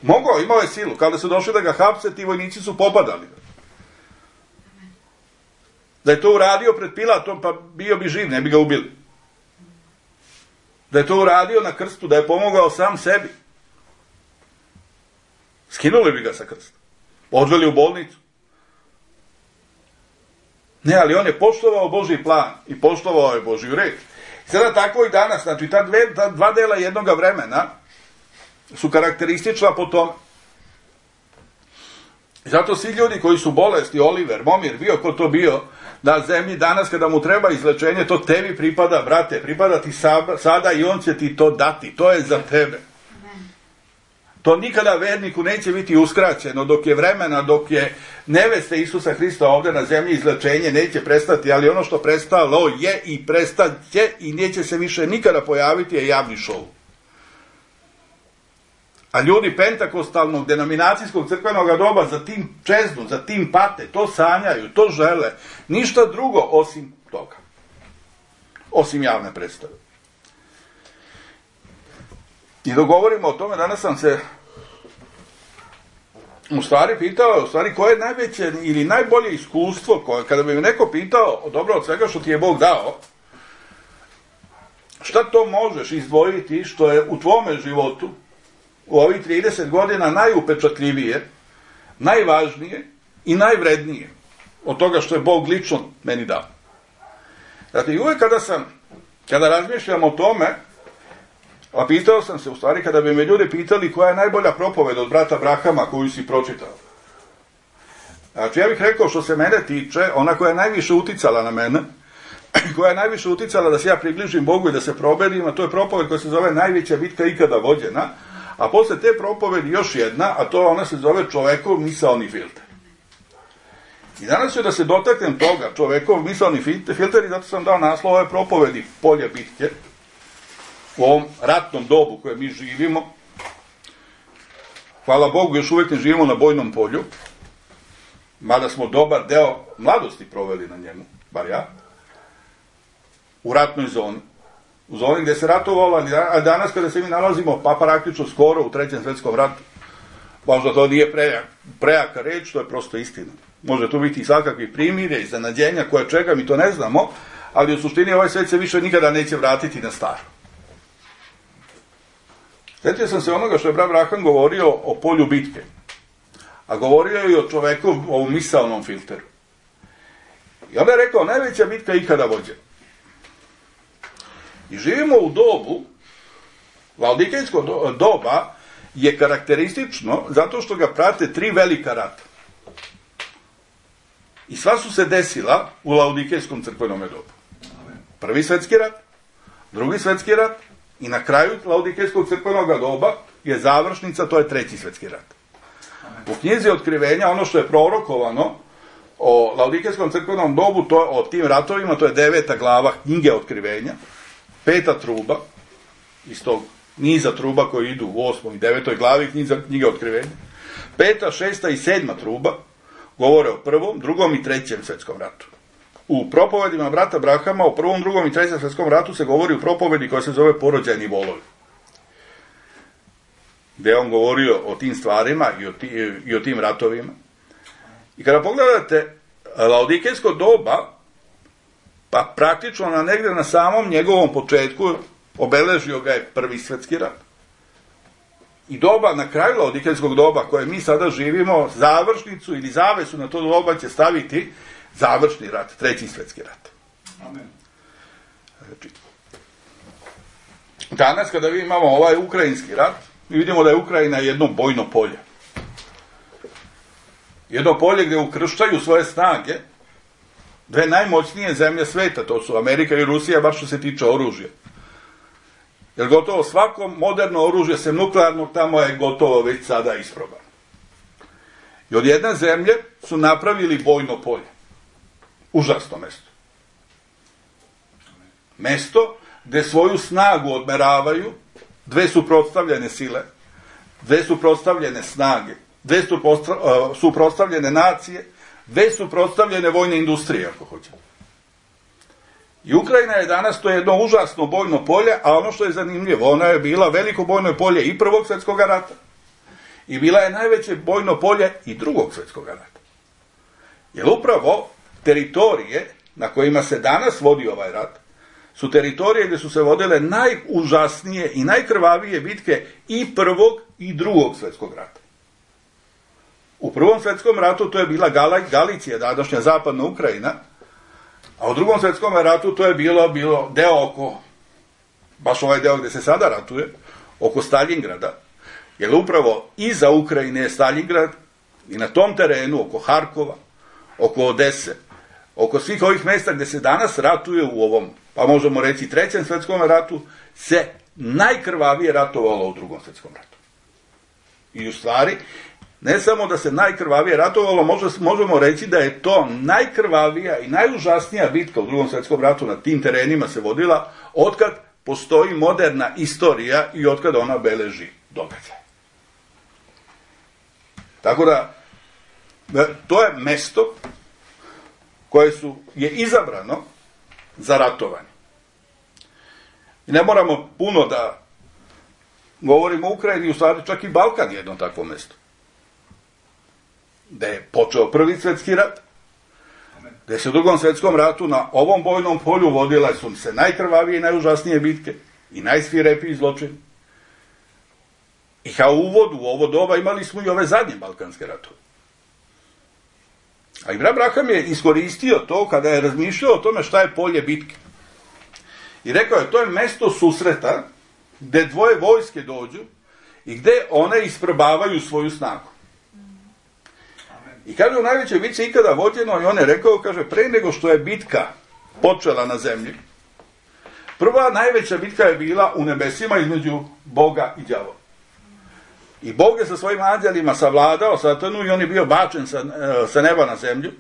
A: Mogao, imao je silu. Kada su došli da ga hapse, ti vojnici su popadali. Da je to uradio pred Pilatom, pa bio bi živ, ne bi ga ubili. Da je to uradio na krstu, da je pomogao sam sebi. Skinuli bi ga sa krsta. Odveli u bolnicu. Ne, ali on je poštovao Božji plan i poštovao je Božju reč. Sada tako i danas, znači ta dva dela jednoga vremena su karakteristična po tome. Zato svi ljudi koji su bolesti, Oliver, Momir, bio ko to bio, na zemlji danas kada mu treba izlečenje, to tebi pripada, brate, pripada ti sada i on će ti to dati, to je za tebe. To nikada verniku neće biti uskraćeno, dok je vremena, dok je neveste Isusa Hrista ovdje na zemlji, izlečenje neće prestati, ali ono što prestalo je i prestaće i neće se više nikada pojaviti je javni šou. A ljudi pentakostalnog, denominacijskog crkvenog doba za tim čeznu, za tim pate, to sanjaju, to žele, ništa drugo osim toga. Osim javne predstave. I dok govorimo o tome, danas sam se u stvari pitao, koje je najveće ili najbolje iskustvo, koje, kada bi me neko pitao, dobro od svega što ti je Bog dao, šta to možeš izdvojiti što je u tvome životu, u ovih 30 godina najupečatljivije, najvažnije i najvrednije od toga što je Bog lično meni dao. Dakle, i uvijek kada razmišljam o tome, a pitao sam se, u stvari, kada bi me ljudi pitali koja je najbolja propoved od brata Brahama koju si pročitao. Znači, ja bih rekao, što se mene tiče, ona koja je najviše uticala na mene, koja je najviše uticala da se ja približim Bogu i da se probedim, a to je propoved koja se zove Najveća bitka ikada vođena, a posle te propovedi još jedna, a to ona se zove Čovekov misaoni filter. I danas ću da se dotaknem toga, Čovekov misaoni filter, i zato sam dao naslov ove propovedi Polje bitke, u ovom ratnom dobu koje mi živimo. Hvala Bogu, još uvijek ne živimo na bojnom polju, mada smo dobar deo mladosti proveli na njemu, bar ja, u ratnoj zoni. U zoni gdje se ratovalo, a danas kada se mi nalazimo, pa praktično skoro u Trećem svjetskom ratu, možda to nije prejaka reč, to je prosto istina. Može tu biti i svakakvih primirja, iznenađenja, koje čega, mi to ne znamo, ali u suštini ovaj svijet se više nikada neće vratiti na staro. Sjetio sam se onoga što je brat Braham govorio o polju bitke, a govorio je i o čoveku, o misaonom filteru. I onda je rekao, najveća bitka ikada vođena. I živimo u dobu, laodikejsko doba je karakteristično zato što ga prate 3 velika rata. I sva su se desila u laodikejskom crkvenom dobu. Prvi svjetski rat, drugi svjetski rat i na kraju laodikejskog crkvenog doba je završnica, to je Treći svjetski rat. U knjizi Otkrivenja, ono što je prorokovano o laodikejskom crkvenom dobu, o tim ratovima, to je 9. glava knjige Otkrivenja, 5. truba, iz tog niza truba koji idu u 8. i 9. glavi knjige Otkrivenja, 5., 6. i 7. truba govore o 1., 2. i 3. svjetskom ratu. U propovedima brata Brahama o 1., 2. i 3. svjetskom ratu se govori u propovedi koja se zove Porođajni volovi, gdje je on govorio o tim stvarima i o tim ratovima. I kada pogledate laodikejsko doba, pa praktično negdje na samom njegovom početku obeležio ga je Prvi svjetski rat. I doba, na kraju laodikejskog doba koje mi sada živimo, završnicu ili zavesu na to doba će staviti završni rat, Treći svjetski rat. Amen. Znači, danas kada vi imamo ovaj ukrajinski rat, mi vidimo da je Ukrajina jedno bojno polje. Jedno polje gdje ukrštaju svoje snage Dve najmoćnije zemlje sveta, to su Amerika i Rusija, bar što se tiče oružja. Jer gotovo svako moderno oružje, sem nuklearnog, tamo je gotovo već sada isprobano. I od jedne zemlje su napravili bojno polje. Užasno mesto. Mesto gde svoju snagu odmeravaju dve suprotstavljene sile, dve suprotstavljene snage, dve suprotstavljene nacije, dve suprotstavljene vojne industrije, ako hoćemo. I Ukrajina je danas to jedno užasno bojno polje, a ono što je zanimljivo, ona je bila veliko bojno polje i Prvog svjetskog rata i bila je najveće bojno polje i Drugog svjetskog rata. Jer upravo teritorije na kojima se danas vodi ovaj rat su teritorije gdje su se vodile najužasnije i najkrvavije bitke i Prvog i Drugog svjetskog rata. U Prvom svjetskom ratu to je bila Galicija, današnja zapadna Ukrajina, a u Drugom svjetskom ratu to je bilo deo oko, baš ovaj deo gdje se sada ratuje, oko Staljingrada, jer upravo iza Ukrajine je Staljingrad i na tom terenu, oko Harkova, oko Odese, oko svih ovih mjesta gdje se danas ratuje u ovom, pa možemo reći, Trećem svjetskom ratu, se najkrvavije ratovalo u Drugom svjetskom ratu. I u stvari, ne samo da se najkrvavije ratovalo, možemo reći da je to najkrvavija i najužasnija bitka u Drugom svjetskom ratu na tim terenima se vodila otkad postoji moderna istorija i otkad ona beleži događaj. Tako da, to je mesto koje je izabrano za ratovanje. I ne moramo puno da govorimo o Ukrajini, u stvari čak i Balkan je jedno takvo mesto. Da je počeo Prvi svjetski rat, da se u Drugom svjetskom ratu na ovom bojnom polju vodila su se najkrvavije i najužasnije bitke i najsvirepiji zločini. I kao uvod u ovo doba imali smo i ove zadnje balkanske ratove. A Ibra Braham je iskoristio to kada je razmišljao o tome šta je polje bitke. I rekao je, to je mesto susreta gde dvoje vojske dođu i gde one isprobavaju svoju snagu. I kaže, u najvećoj bitci ikada vođeno, i on je rekao, kaže, pre nego što je bitka počela na zemlji, prva najveća bitka je bila u nebesima između Boga i đavola. I Bog je sa svojim anđelima savladao Satanu i on je bio bačen sa neba na zemlju.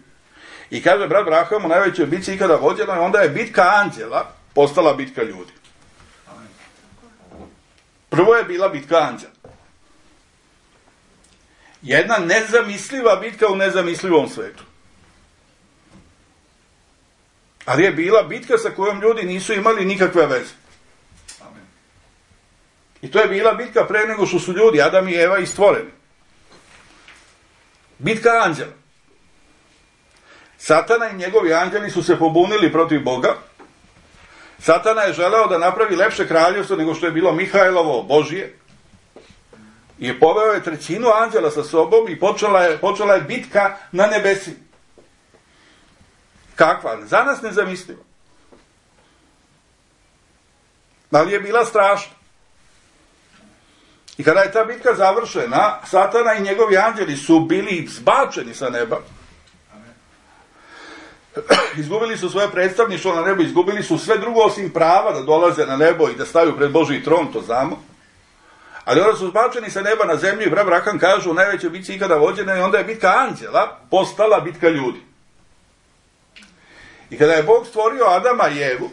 A: I kaže, brat Braham, u najvećoj bitci ikada vođeno, i onda je bitka anđela postala bitka ljudi. Prvo je bila bitka anđela. Jedna nezamisliva bitka u nezamislivom svetu. Ali je bila bitka sa kojom ljudi nisu imali nikakve veze. I to je bila bitka pre nego što su ljudi, Adam i Eva, i stvoreni. Bitka anđela. Satana i njegovi anđeli su se pobunili protiv Boga. Satana je želeo da napravi lepše kraljevstvo nego što je bilo Mihajlovo, Božije. I poveo je trećinu anđela sa sobom i počela je bitka na nebesi. Kakva? Za nas nezamisliva. Ali je bila strašna. I kada je ta bitka završena, Satana i njegovi anđeli su bili zbačeni sa neba. Izgubili su svoje predstavništvo na nebu, izgubili su sve drugo osim prava da dolaze na nebo i da staju pred Božji tron, to znamo. Ali onda su zbačeni sa neba na zemlju i brat Braham kaže, u najvećoj bitci ikada vođena, i onda je bitka anđela postala bitka ljudi. I kada je Bog stvorio Adama i Evu,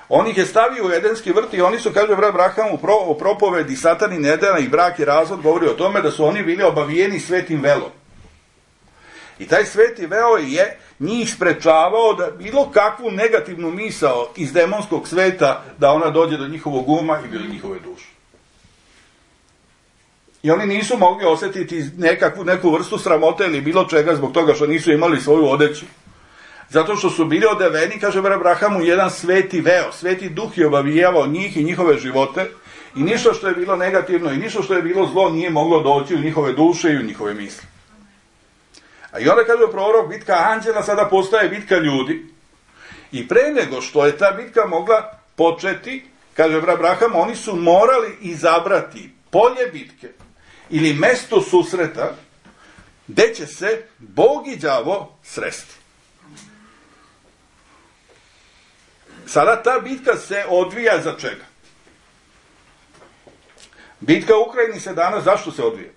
A: on ih je stavio u Edenski vrt i oni su, kaže brat Braham, u propovedi Satanin Edena i brak i razvod govori o tome da su oni bili obavijeni svetim velom. I taj sveti veo je njih sprečavao da bilo kakvu negativnu misao iz demonskog sveta da ona dođe do njihovog uma i do njihove duše. I oni nisu mogli osjetiti neku vrstu sramote ili bilo čega zbog toga što nisu imali svoju odeću. Zato što su bili odeveni, kaže brat Braham, u jedan sveti veo. Sveti duh je obavijavao njih i njihove živote i ništa što je bilo negativno i ništa što je bilo zlo nije moglo doći u njihove duše i u njihove misli. A i onda kaže prorok, bitka anđela sada postaje bitka ljudi. I pre nego što je ta bitka mogla početi, kaže brat Braham, oni su morali izabrati polje bitke ili mesto susreta gde će se Bog i đavo sresti. sada ta bitka se odvija za čega? Bitka u Ukrajini se danas, zašto se odvija?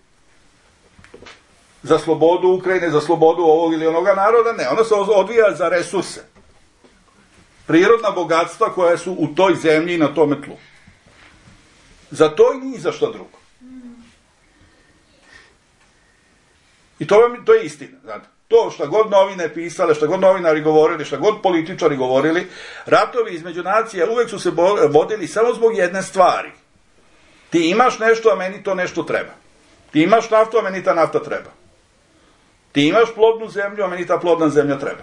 A: Za slobodu Ukrajine, za slobodu ovog ili onoga naroda? Ne, ona se odvija za resurse. Prirodna bogatstva koja su u toj zemlji i na tome tlu. Za to i ni za što drugo. I to je istina. Znate. To šta god novine pisale, šta god novinari govorili, šta god političari govorili, ratovi između nacija uvek su se vodili samo zbog jedne stvari. Ti imaš nešto, a meni to nešto treba. Ti imaš naftu, a meni ta nafta treba. Ti imaš plodnu zemlju, a meni ta plodna zemlja treba.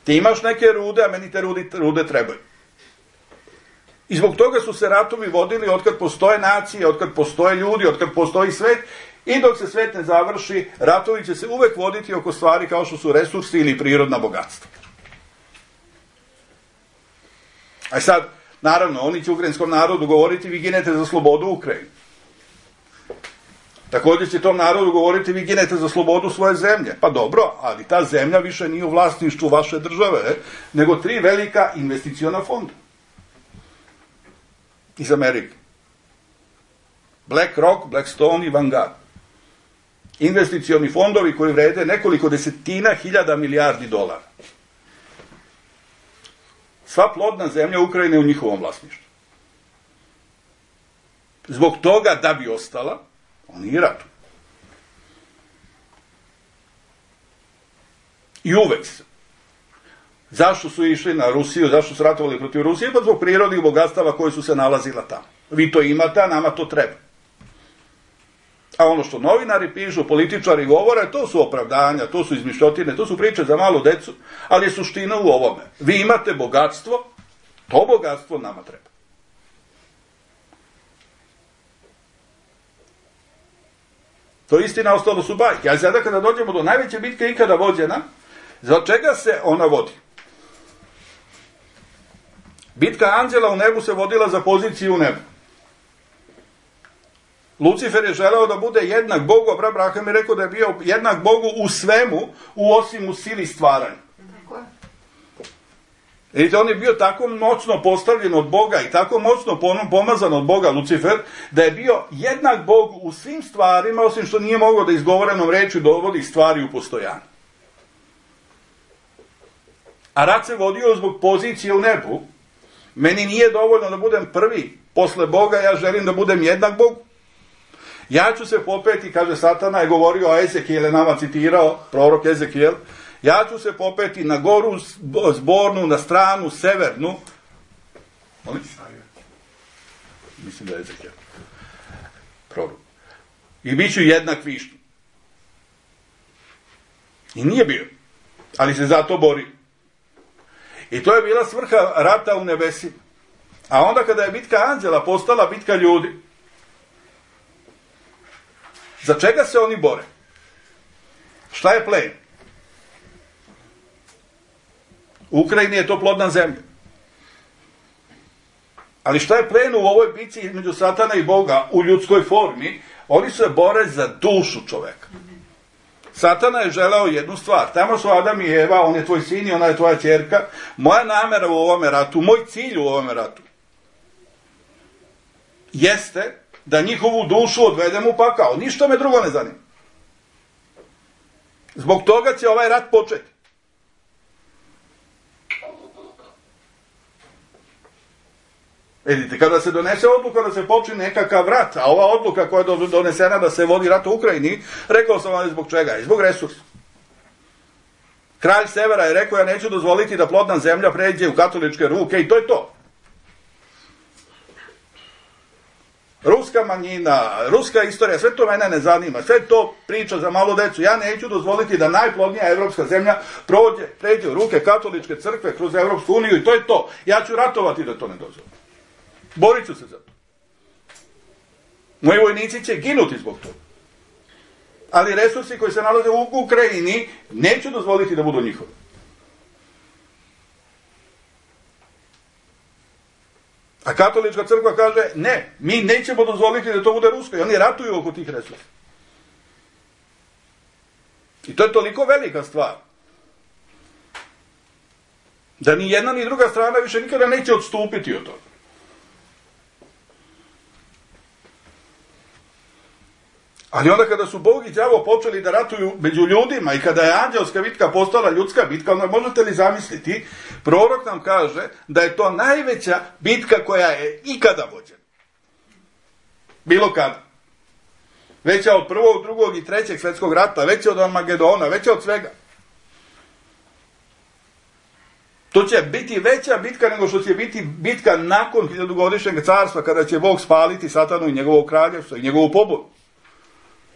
A: Ti imaš neke rude, a meni te rude trebaju. I zbog toga su se ratovi vodili otkad postoje nacije, otkad postoje ljudi, otkad postoji svet, i dok se svet ne završi, ratovi će se uvek voditi oko stvari kao što su resursi ili prirodna bogatstva. A sad, naravno, oni će ukrajinskom narodu govoriti, vi ginete za slobodu Ukrajine. Također će tom narodu govoriti, vi ginete za slobodu svoje zemlje. Pa dobro, ali ta zemlja više nije u vlasništvu vaše države, nego 3 velika investiciona fonda iz Amerike. BlackRock, Blackstone i Vanguard. Investicioni fondovi koji vrede nekoliko desetina hiljada milijardi dolara. Sva plodna zemlja Ukrajine je u njihovom vlasništvu. Zbog toga, da bi ostala, oni i ratuju. I uvek se. Zašto su išli na Rusiju, zašto su ratovali protiv Rusije? Pa zbog prirodnih bogatstava koje su se nalazila tamo. Vi to imate, a nama to treba. A ono što novinari pišu, političari govore, to su opravdanja, to su izmišljotine, to su priče za malu decu, ali je suština u ovome. Vi imate bogatstvo, to bogatstvo nama treba. To je istina, ostalo su bajke. A sada kada dođemo do najveće bitke ikada vođena, za čega se ona vodi? Bitka anđela u nebu se vodila za poziciju u nebu. Lucifer je želeo da bude jednak Bogu, a Abraham je rekao da je bio jednak Bogu u svemu, osim u sili stvaranja. Vidite, on je bio tako moćno postavljen od Boga i tako moćno pomazan od Boga, Lucifer, da je bio jednak Bogu u svim stvarima, osim što nije mogao da izgovorenom rečju dovodi stvari u postojanje. A rat se vodio zbog pozicije u nebu. Meni nije dovoljno da budem prvi posle Boga, ja želim da budem jednak Bogu. Ja ću se popeti, kaže Satana, je govorio o Ezekijel, je nama citirao, prorok Ezekijel, ja ću se popeti na goru zbornu, na stranu severnu. Mislim da je Ezekijel. Prorok. I bit ću jednak višnju. I nije bio. Ali se zato bori. I to je bila svrha rata u nebesima. A onda kada je bitka anđela postala bitka ljudi, za čega se oni bore? Šta je plen? U Ukrajini je to plodna zemlja. Ali šta je plen u ovoj bitci između Satana i Boga u ljudskoj formi? Oni se bore za dušu čoveka. Satana je želeo jednu stvar. Tamo su Adam i Eva, on je tvoj sin i ona je tvoja ćerka. Moja namera u ovome ratu, moj cilj u ovome ratu jeste da njihovu dušu odvedem u pakao. Ništa me drugo ne zanima. Zbog toga će ovaj rat početi. Vidite, kada se donese odluka da se počne nekakav rat, a ova odluka koja je donesena da se vodi rat u Ukrajini, rekao sam vam zbog čega, i zbog resursa. Kralj Severa je rekao, ja neću dozvoliti da plodna zemlja pređe u katoličke ruke i to je to. Ruska manjina, ruska istorija, sve to mene ne zanima, sve to priča za malu decu. Ja neću dozvoliti da najplodnija evropska zemlja pređe u ruke katoličke crkve kroz Evropsku uniju i to je to. Ja ću ratovati da to ne dozvolim. Borit ću se za to. Moji vojnici će ginuti zbog toga. Ali resursi koji se nalaze u Ukrajini neću dozvoliti da budu njihovi. A katolička crkva kaže, ne, mi nećemo dozvoliti da to bude rusko. I oni ratuju oko tih resursa. I to je toliko velika stvar. Da ni jedna ni druga strana više nikada neće odstupiti od toga. Ali onda kada su Bog i đavo počeli da ratuju među ljudima i kada je anđelska bitka postala ljudska bitka, onda možete li zamisliti, prorok nam kaže da je to najveća bitka koja je ikada vođena. Bilo kada. Veća od prvog, drugog i trećeg svjetskog rata, veća od Armagedona, veća od svega. To će biti veća bitka nego što će biti bitka nakon 1000-godišnjeg carstva, kada će Bog spaliti Satanu i njegovo kraljevstvo i njegovu pobudu.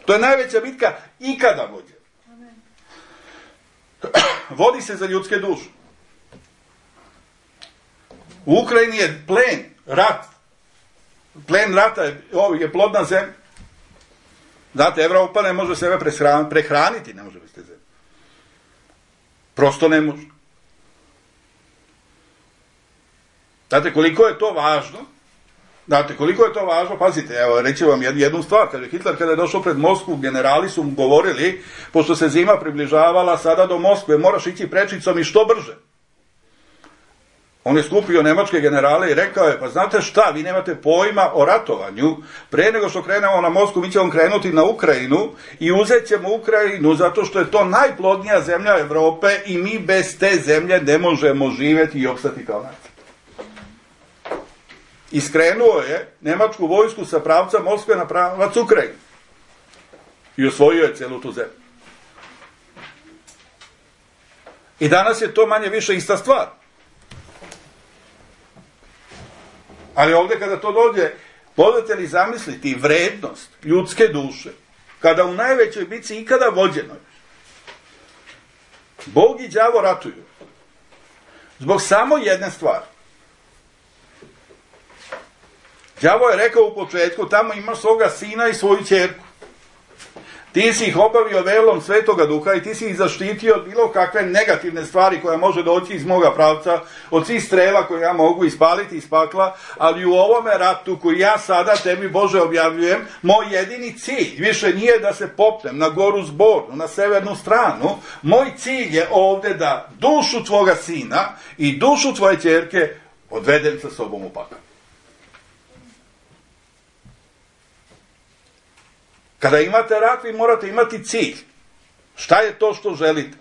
A: To je najveća bitka ikada vođena. Vodi se za ljudske duše. U Ukrajini je plen, rat. Plen rata je plodna zemlja. Znate, Evropa ne može sebe prehraniti, ne može bez te zemlje. Prosto ne može. Znate, koliko je to važno? Pazite, evo, reći vam jednu stvar. Kaže, Hitler kada je došao pred Moskvu, generali su mu govorili, pošto se zima približavala sada do Moskve, moraš ići prečicom i što brže. On je skupio nemačke generale i rekao je, pa znate šta, vi nemate pojma o ratovanju, pre nego što krenemo na Moskvu, mi ćemo krenuti na Ukrajinu i uzet ćemo Ukrajinu zato što je to najplodnija zemlja Evrope i mi bez te zemlje ne možemo živjeti i opstati kao nacija. Iskrenuo je nemačku vojsku sa pravca Moskve na pravac Ukrajine i osvojio je celu tu zemlju. I danas je to manje više ista stvar. Ali ovdje kada to dođe, možete li zamisliti vrednost ljudske duše, kada u najvećoj bitci ikada vođenoj Bog i đavo ratuju zbog samo jedne stvari. Đavo je rekao u početku, tamo imaš svoga sina i svoju ćerku. Ti si ih obavio velom Svetoga Duha i ti si ih zaštitio od bilo kakve negativne stvari koja može doći iz moga pravca, od svih strela koje ja mogu ispaliti iz pakla, ali u ovome ratu koji ja sada tebi, Bože, objavljujem, moj jedini cilj više nije da se popnem na goru Zbornu, na severnu stranu. Moj cilj je ovdje da dušu tvoga sina i dušu tvoje ćerke odvedem sa sobom u pakao. Kada imate rat, vi morate imati cilj. Šta je to što želite?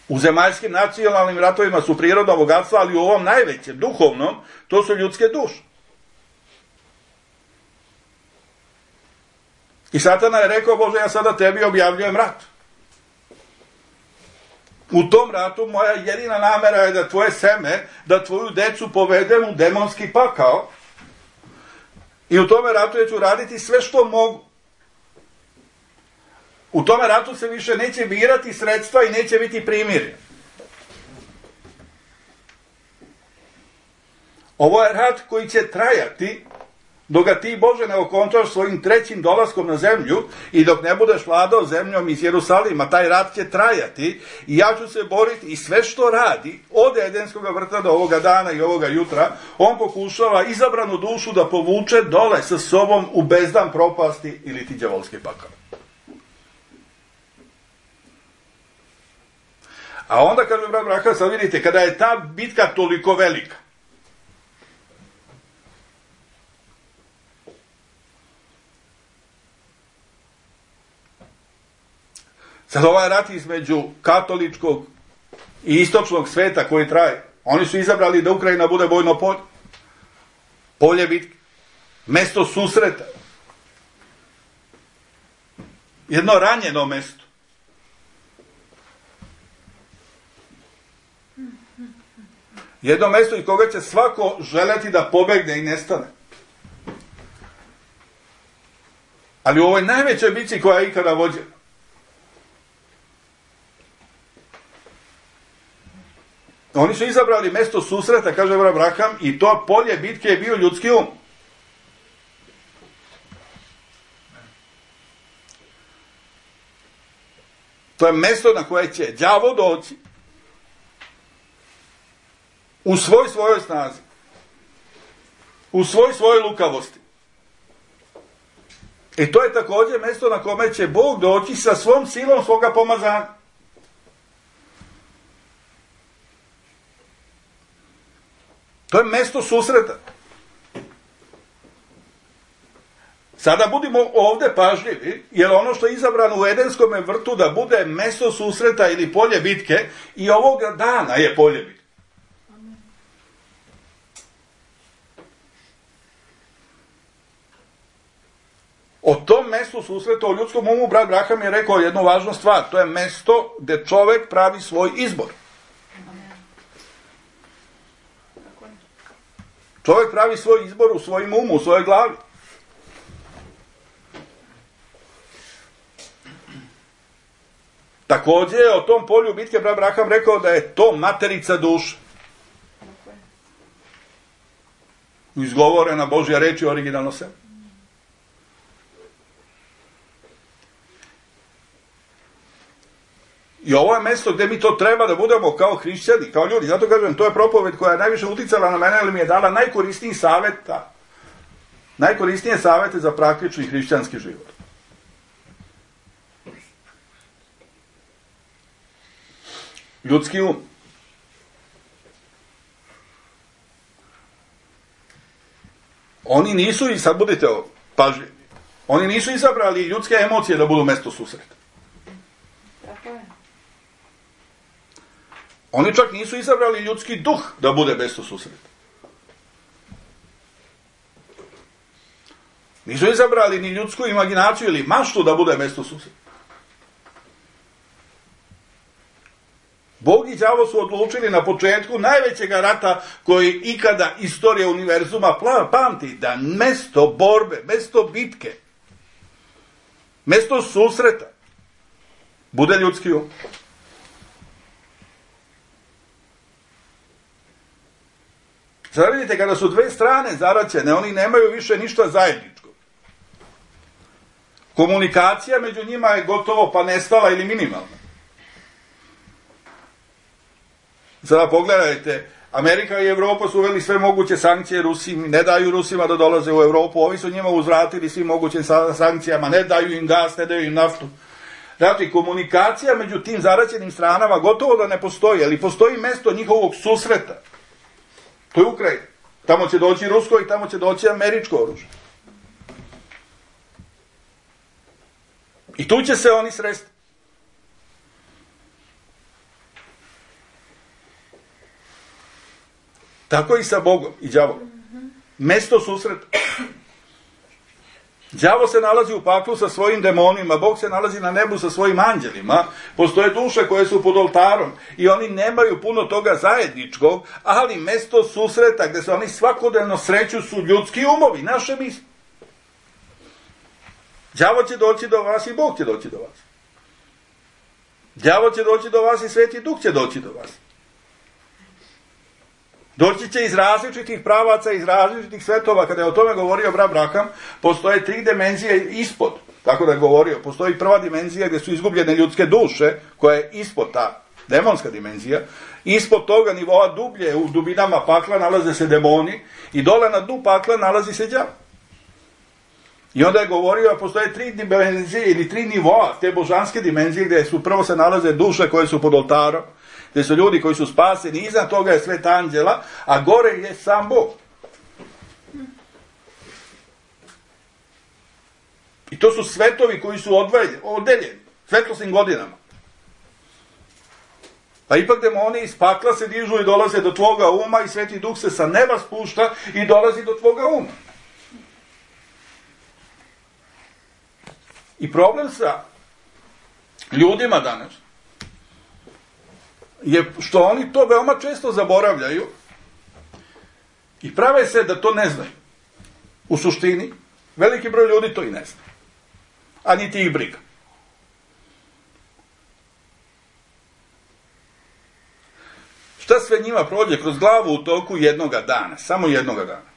A: U zemaljskim nacionalnim ratovima su prirodna bogatstva, ali u ovom najvećem, duhovnom, to su ljudske duše. I Satana je rekao, Bože, ja sada tebi objavljujem rat. U tom ratu moja jedina namera je da tvoje seme, da tvoju decu povedem u demonski pakao. I u tome ratu ja ću raditi sve što mogu. U tome ratu se više neće birati sredstva i neće biti primirje. Ovo je rat koji će trajati dok ga ti, Bože, ne okončaš svojim trećim dolaskom na zemlju i dok ne budeš vladao zemljom iz Jerusalima. Taj rat će trajati i ja ću se boriti i sve što radi od Edenskog vrta do ovoga dana i ovoga jutra, on pokušava izabranu dušu da povuče dole sa sobom u bezdan propasti ili ti đavolski pakao. A onda, kaže brat Braha, sad vidite, kada je ta bitka toliko velika, sad ovaj rat između katoličkog i istočnog sveta koji traje, oni su izabrali da Ukrajina bude bojno polje. Polje bitke. Mesto susreta. Jedno ranjeno mesto. Jedno mesto iz koga će svako želeti da pobegne i nestane. Ali u ovoj najvećoj bitci koja je ikada vođena, oni su izabrali mesto susreta, kaže Abraham, i to polje bitke je bio ljudski um. To je mesto na koje će đavo doći u svojoj snazi, u svojoj lukavosti I to je također mjesto na kome će Bog doći sa svom silom svoga pomazanja. To je mjesto susreta. Sada budimo ovdje pažljivi, jer ono što je izabrano u Edenskom vrtu da bude mjesto susreta ili polje bitke, i ovoga dana je polje bitke. O tom mjestu susreta, o ljudskom umu, brat Braham je rekao jednu važnu stvar. To je mjesto gdje čovjek pravi svoj izbor. Čovjek pravi svoj izbor u svojim umu, u svojoj glavi. Također je o tom polju bitke brat Braham rekao da je to materica duše. Izgovorena Božja reč je originalno sve. I ovo je mjesto gdje mi to treba da budemo kao hrišćani, kao ljudi. Zato kažem, to je propoved koja je najviše uticala na mene, ali mi je dala najkorisnije savjete za praktični hrišćanski život. Ljudski um. Oni nisu, i sad budite pažljivi, oni nisu izabrali ljudske emocije da budu mjesto susreta. Oni čak nisu izabrali ljudski duh da bude mjesto susreta. Nisu izabrali ni ljudsku imaginaciju ili maštu da bude mjesto susreta. Bog i đavo su odlučili na početku najvećeg rata koji ikada istorija univerzuma pamti, da mjesto borbe, mjesto bitke, mjesto susreta bude ljudski um. Sada vidite, kada su dve strane zaraćene, oni nemaju više ništa zajedničko. Komunikacija među njima je gotovo pa nestala ili minimalna. Sada pogledajte, Amerika i Evropa su uveli sve moguće sankcije Rusima, ne daju Rusima da dolaze u Europu, ovi su njima uzvratili svim mogućim sankcijama, ne daju im gas, ne daju im naftu. Znači, komunikacija među tim zaraćenim stranama gotovo da ne postoji, ali postoji mjesto njihovog susreta. To je Ukrajina. Tamo će doći rusko i tamo će doći američko oružje. I tu će se oni sresti. Tako i sa Bogom i đavolom. Mesto susreta. Đavo se nalazi u paklu sa svojim demonima, Bog se nalazi na nebu sa svojim anđelima, postoje duše koje su pod oltarom i oni nemaju puno toga zajedničkog, ali mesto susreta gdje se oni svakodnevno sreću su ljudski umovi, naše misli. Đavo će doći do vas i Bog će doći do vas. Đavo će doći do vas i Sveti Duh će doći do vas. Doći će iz različitih pravaca, iz različitih svetova. Kada je o tome govorio brat Braham, postoje 3 dimenzije ispod. Tako da je govorio, postoji prva dimenzija gdje su izgubljene ljudske duše, koja je ispod ta demonska dimenzija. Ispod toga nivoa dublje, u dubinama pakla nalaze se demoni i dole na dnu pakla nalazi se đavo. I onda je govorio da postoje 3 dimenzije ili 3 nivoa te božanske dimenzije gdje su prvo se nalaze duše koje su pod oltarom, gdje su ljudi koji su spaseni, iznad toga je svet anđela, a gore je sam Bog. I to su svetovi koji su odeljeni, svetlosnim godinama. Pa ipak demoni iz pakla se dižu i dolaze do tvoga uma i Sveti Duh se sa neba spušta i dolazi do tvoga uma. I problem sa ljudima danas je što oni to veoma često zaboravljaju i prave se da to ne znaju. U suštini, veliki broj ljudi to i ne zna. A niti ih briga. Šta sve njima prođe kroz glavu u toku jednoga dana, samo jednoga dana?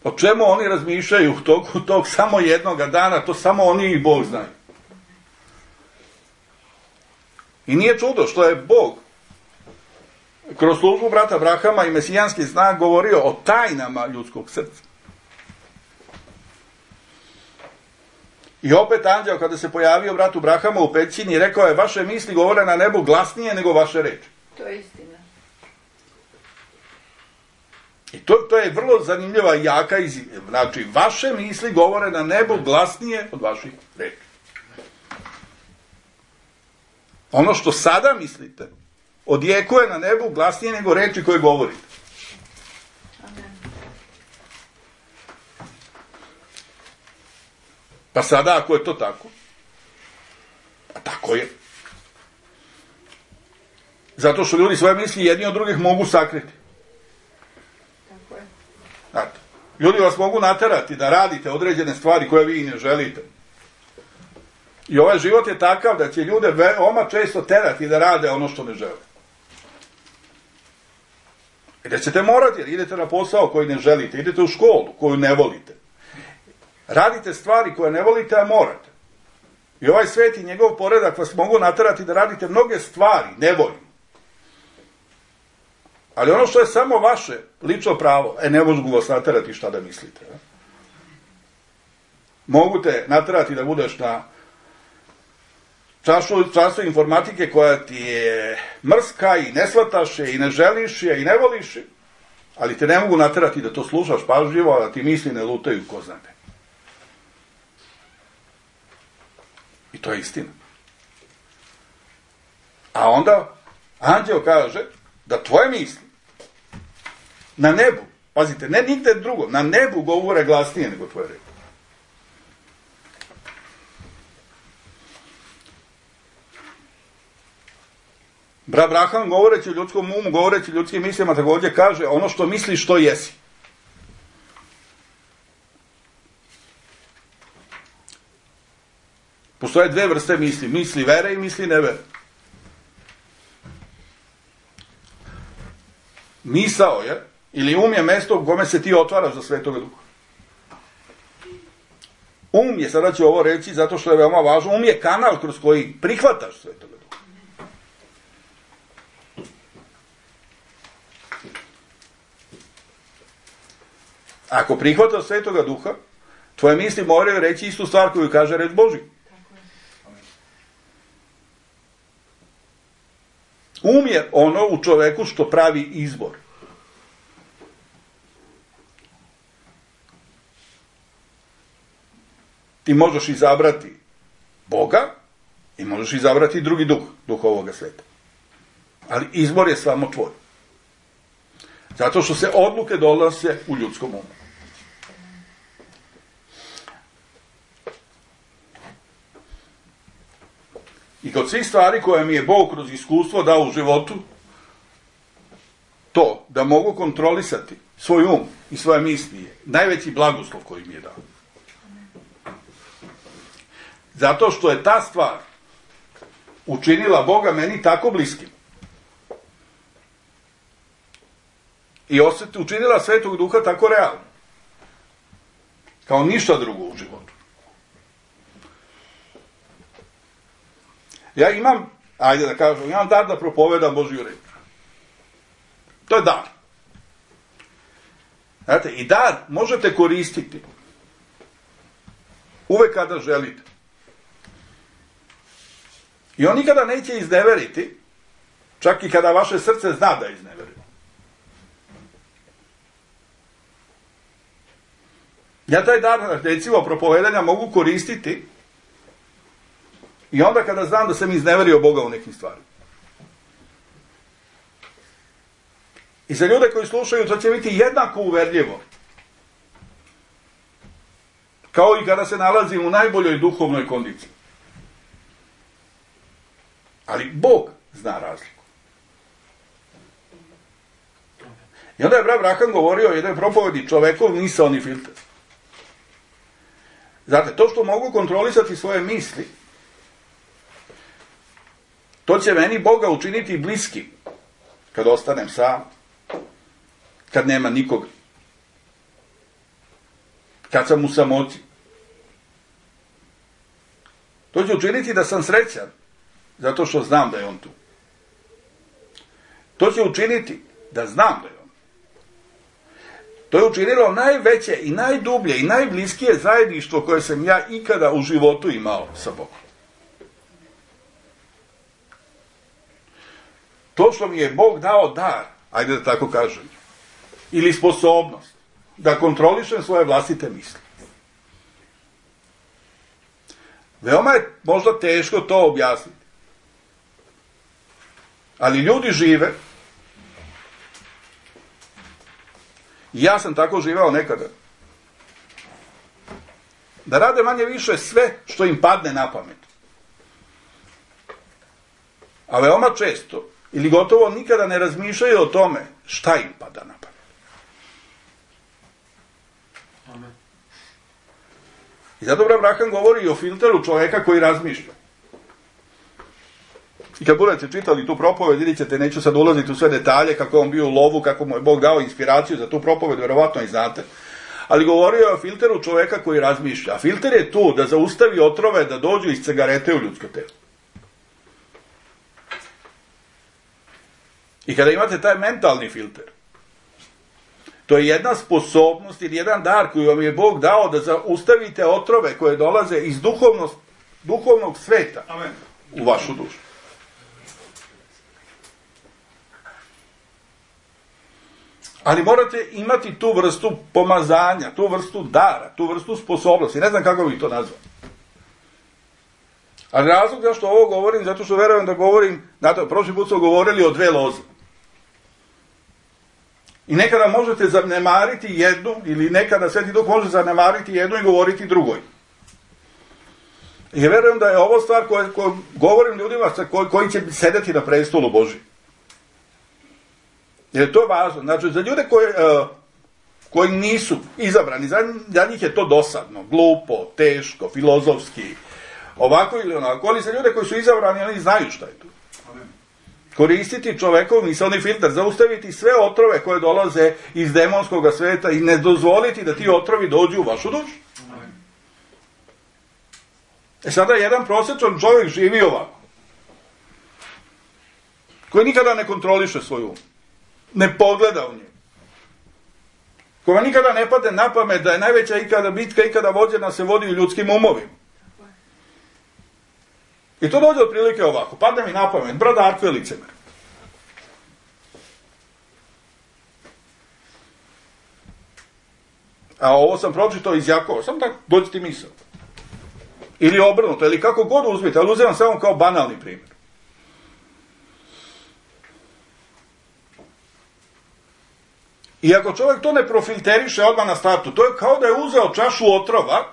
A: O čemu oni razmišljaju u toku tog samo jednoga dana, to samo oni i Bog znaju. I nije čudo što je Bog kroz službu brata Brahama i mesijanski znak govorio o tajnama ljudskog srca. I opet anđeo kada se pojavio bratu Brahamu u pećini, rekao je, vaše misli govore na nebu glasnije nego vaše reči.
B: To je istina.
A: I to je vrlo zanimljiva i jaka izjava. Znači, vaše misli govore na nebu glasnije od vaših reči. Ono što sada mislite, odjekuje na nebu glasnije nego reči koje govorite.
B: Amen.
A: Pa sada, ako je to tako, a tako je, zato što ljudi svoje misli jedni od drugih mogu sakriti.
B: Tako je.
A: Znate, ljudi vas mogu naterati da radite određene stvari koje vi ne želite. I ovaj život je takav da će ljude veoma često terati da rade ono što ne žele. I da ćete morati, jer idete na posao koji ne želite, idete u školu koju ne volite. Radite stvari koje ne volite, a morate. I ovaj svet i njegov poredak vas mogu naterati da radite mnoge stvari, nevoljno. Ali ono što je samo vaše lično pravo, ne mogu vas naterati šta da mislite. Mogu te naterati da budeš na času informatike koja ti je mrska i ne shvataš je i ne želiš je i ne voliš je, ali te ne mogu naterati da to slušaš pažljivo, a da ti misli ne lutaju ko zna ne. I to je istina. A onda anđeo kaže da tvoje misli na nebu, pazite, ne nigde drugo, na nebu govore glasnije nego tvoje reči. Brat Braham, govoreći o ljudskom umu, govoreći o ljudskim mislima, također kaže ono što misliš, što jesi. Postoje dve vrste misli. Misli vere i misli nevere. Misao je, ili um je mesto u kome se ti otvaraš za Svetoga Duha. Um je, sada ću ovo reći zato što je veoma važno, um je kanal kroz koji prihvataš Svetoga Duha. Ako prihvataš Svetoga Duha, tvoje misli moraju reći istu stvar koju kaže reč Božja. Um je ono u čoveku što pravi izbor. Ti možeš izabrati Boga i možeš izabrati drugi duh, duh ovoga sveta. Ali izbor je samo tvoj. Zato što se odluke donose u ljudskom umu. I kod svih stvari koje mi je Bog kroz iskustvo dao u životu, to da mogu kontrolisati svoj um i svoje misli je najveći blagoslov koji mi je dao. Zato što je ta stvar učinila Boga meni tako bliskim. I učinila Svetog Duha tako realno. Kao ništa drugo u životu. Ja imam, ajde da kažem, imam dar da propovedam Božju reč. To je dar. Znate, i dar možete koristiti uvek kada želite. I on nikada neće izneveriti, čak i kada vaše srce zna da izneveri. Ja taj dar, recimo, propovedanja mogu koristiti i onda kada znam da sam izneverio Boga u nekim stvarima. I za ljude koji slušaju, to će biti jednako uverljivo. Kao i kada se nalazim u najboljoj duhovnoj kondiciji. Ali Bog zna razliku. I onda je brat Braham govorio o jednoj propovedi čovekov misaoni filter. Znate, to što mogu kontrolisati svoje misli, to će meni Boga učiniti bliskim kad ostanem sam, kad nema nikoga, kad sam u samoći. To će učiniti da sam srećan, zato što znam da je on tu. To će učiniti da znam da je on. To je učinilo najveće i najdublje i najbliskije zajedništvo koje sam ja ikada u životu imao sa Bogom. To što mi je Bog dao dar, ajde da tako kažem, ili sposobnost da kontrolišem svoje vlastite misli. Veoma je možda teško to objasniti. Ali ljudi žive, i ja sam tako živeo nekada, da rade manje više sve što im padne na pamet. A veoma često, ili gotovo nikada ne razmišljaju o tome šta im pada na pamet.
C: Amen.
A: I zato Abraham govori o filteru čoveka koji razmišlja. I kad budete čitali tu propoved, vidjet ćete, neću sad ulaziti u sve detalje, kako je on bio u lovu, kako mu je Bog dao inspiraciju za tu propoved, vjerovatno i znate. Ali govorio je o filteru čoveka koji razmišlja. A filter je tu da zaustavi otrove da dođu iz cigarete u ljudsko telo. I kada imate taj mentalni filter, to je jedna sposobnost ili jedan dar koji vam je Bog dao da zaustavite otrove koje dolaze iz duhovnog sveta.
C: Amen.
A: U vašu dušu. Ali morate imati tu vrstu pomazanja, tu vrstu dara, tu vrstu sposobnosti. Ne znam kako bih to nazvao. Ali razlog zašto ovo govorim, zato što verujem da govorim, znate, prošli put smo govorili o 2 loze. I nekada možete zanemariti jednu, ili nekada Sveti Duh može zanemariti jednu i govoriti drugoj. I verujem da je ovo stvar koju govorim ljudima koji će sedeti na prestolu Božjem. Jer to je važno. Znači, za ljude koji nisu izabrani, za njih je to dosadno, glupo, teško, filozofski, ovako ili onako. Ali za ljude koji su izabrani, oni znaju šta je to. Koristiti čovekov misaoni filter, zaustaviti sve otrove koje dolaze iz demonskog sveta i ne dozvoliti da ti otrovi dođu u vašu dušu. Sada jedan prosječan čovjek živi ovako, koji nikada ne kontroliše svoj um, ne pogleda u njegu, koja nikada ne padne na pamet da je najveća ikada bitka, ikada vođena se vodi u ljudskim umovima. I to dođe otprilike ovako, padne mi na pamet, brat Darko je licemer. A ovo sam pročitao iz Jakova, samo tako, dođe ti misao. Ili obrnuto, ili kako god uzmite, ali uzimam samo kao banalni primjer. I ako čovjek to ne profilteriše odmah na startu, to je kao da je uzeo čašu otrova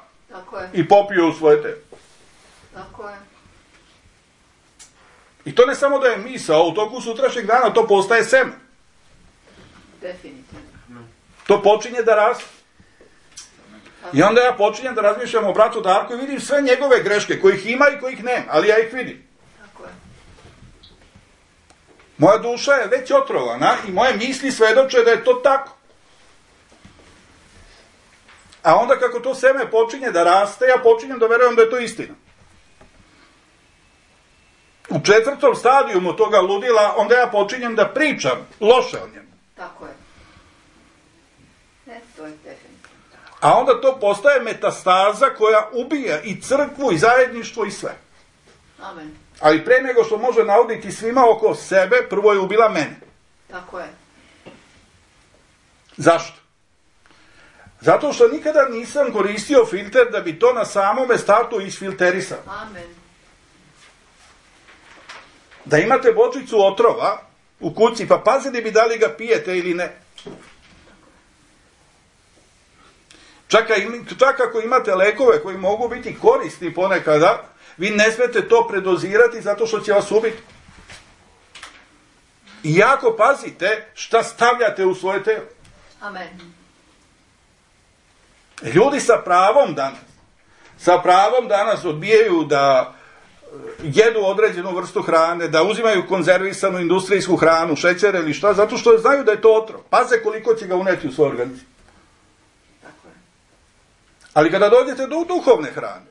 A: i popio u svoje telo.
B: Tako je.
A: I to ne samo da je misao, u toku sutrašnjeg dana to postaje seme.
B: Definitivno.
A: To počinje da raste. I onda ja počinjem da razmišljam o bratu Darku i vidim sve njegove greške, kojih ima i kojih nema, ali ja ih vidim.
B: Tako je.
A: Moja duša je već otrovana i moje misli svedoče da je to tako. A onda kako to seme počinje da raste, ja počinjem da verujem da je to istina. U 4. stadijumu toga ludila, onda ja počinjem da pričam loše o njemu.
B: Tako je. Ne, to je definitivno.
A: A onda to postaje metastaza koja ubija i crkvu, i zajedništvo, i sve.
B: Amen.
A: Ali pre nego što može nauditi svima oko sebe, prvo je ubila mene.
B: Tako je.
A: Zašto? Zato što nikada nisam koristio filter da bi to na samome startu isfilterisao.
B: Amen.
A: Da imate bočicu otrova u kući, pa pazite bi da li ga pijete ili ne. Čak ako imate lekove koji mogu biti korisni ponekada, vi ne smete to predozirati zato što će vas ubiti. I jako pazite šta stavljate u svoje telo.
B: Amen.
A: Ljudi sa pravom danas odbijaju da jedu određenu vrstu hrane, da uzimaju konzervisanu industrijsku hranu, šećer ili šta, zato što znaju da je to otrov. Paze koliko će ga uneti u svoj organizam.
B: Tako je.
A: Ali kada dođete do duhovne hrane,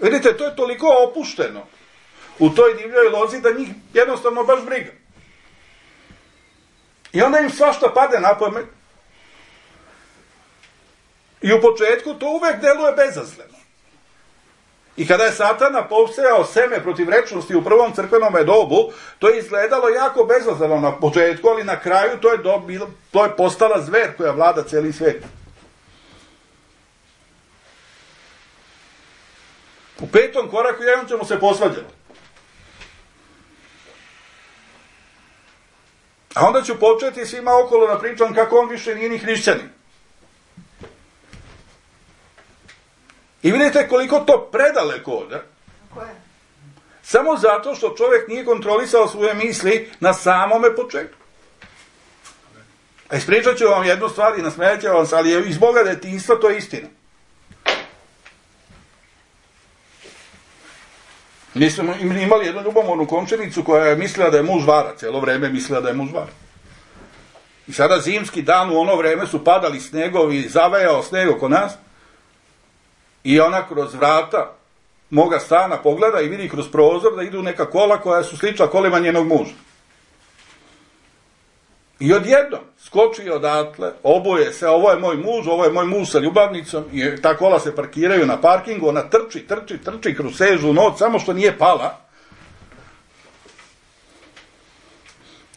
A: vidite, to je toliko opušteno u toj divljoj lozi da njih jednostavno baš briga. I onda im svašta pade na pamet I u početku to uvek deluje bezazleno. I kada je Satana posejao seme protiv rečnosti u prvom crkvenom dobu, to je izgledalo jako bezazleno na početku, ali na kraju to je postala zver koja vlada cijeli svijet. U 5. koraku jednom ćemo se posvađati. A onda ću početi svima okolo da pričam kako on više nije ni hrišćanin. I vidite koliko to predaleko ode. Samo zato što čovjek nije kontrolisao svoje misli na samome početku. A ispričat ću vam jednu stvar i nasmejat ću vam, ali je iz Boga detinjstva, to je istina. Mi smo imali jednu ljubomornu komšinicu koja je mislila da je muž vara, cijelo vrijeme mislila da je muž vara. I sada zimski dan u ono vrijeme su padali snegovi, zavejao sneg oko nas i ona kroz vrata moga stana pogleda i vidi kroz prozor da idu neka kola koja su slična kolima njenog muža. I odjednom skoči odatle, oboje se, ovo je moj muž sa ljubavnicom, i ta kola se parkiraju na parkingu, ona trči kroz sežu noć, samo što nije pala.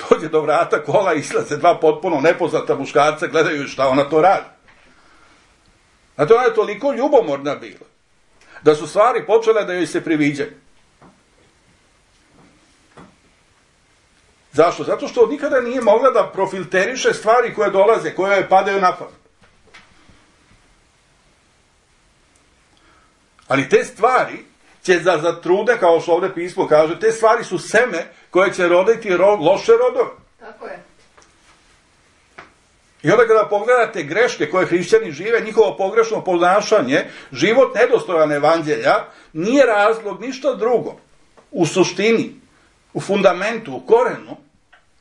A: Dođe do vrata kola, izlaze dva potpuno nepoznata muškarca, gledaju šta ona to radi. Znate, ona je toliko ljubomorna bila, da su stvari počele da joj se priviđaju. Zašto? Zato što nikada nije mogla da profilteriše stvari koje dolaze, koje joj padaju na pamet. Ali te stvari će zatrude, kao što ovdje pismo kaže, te stvari su seme koje će roditi loše rodove.
B: Tako je.
A: I onda kada pogledate greške koje hrišćani žive, njihovo pogrešno ponašanje, život nedostojan evanđelja, nije razlog ništa drugo. U suštini, u fundamentu, u korenu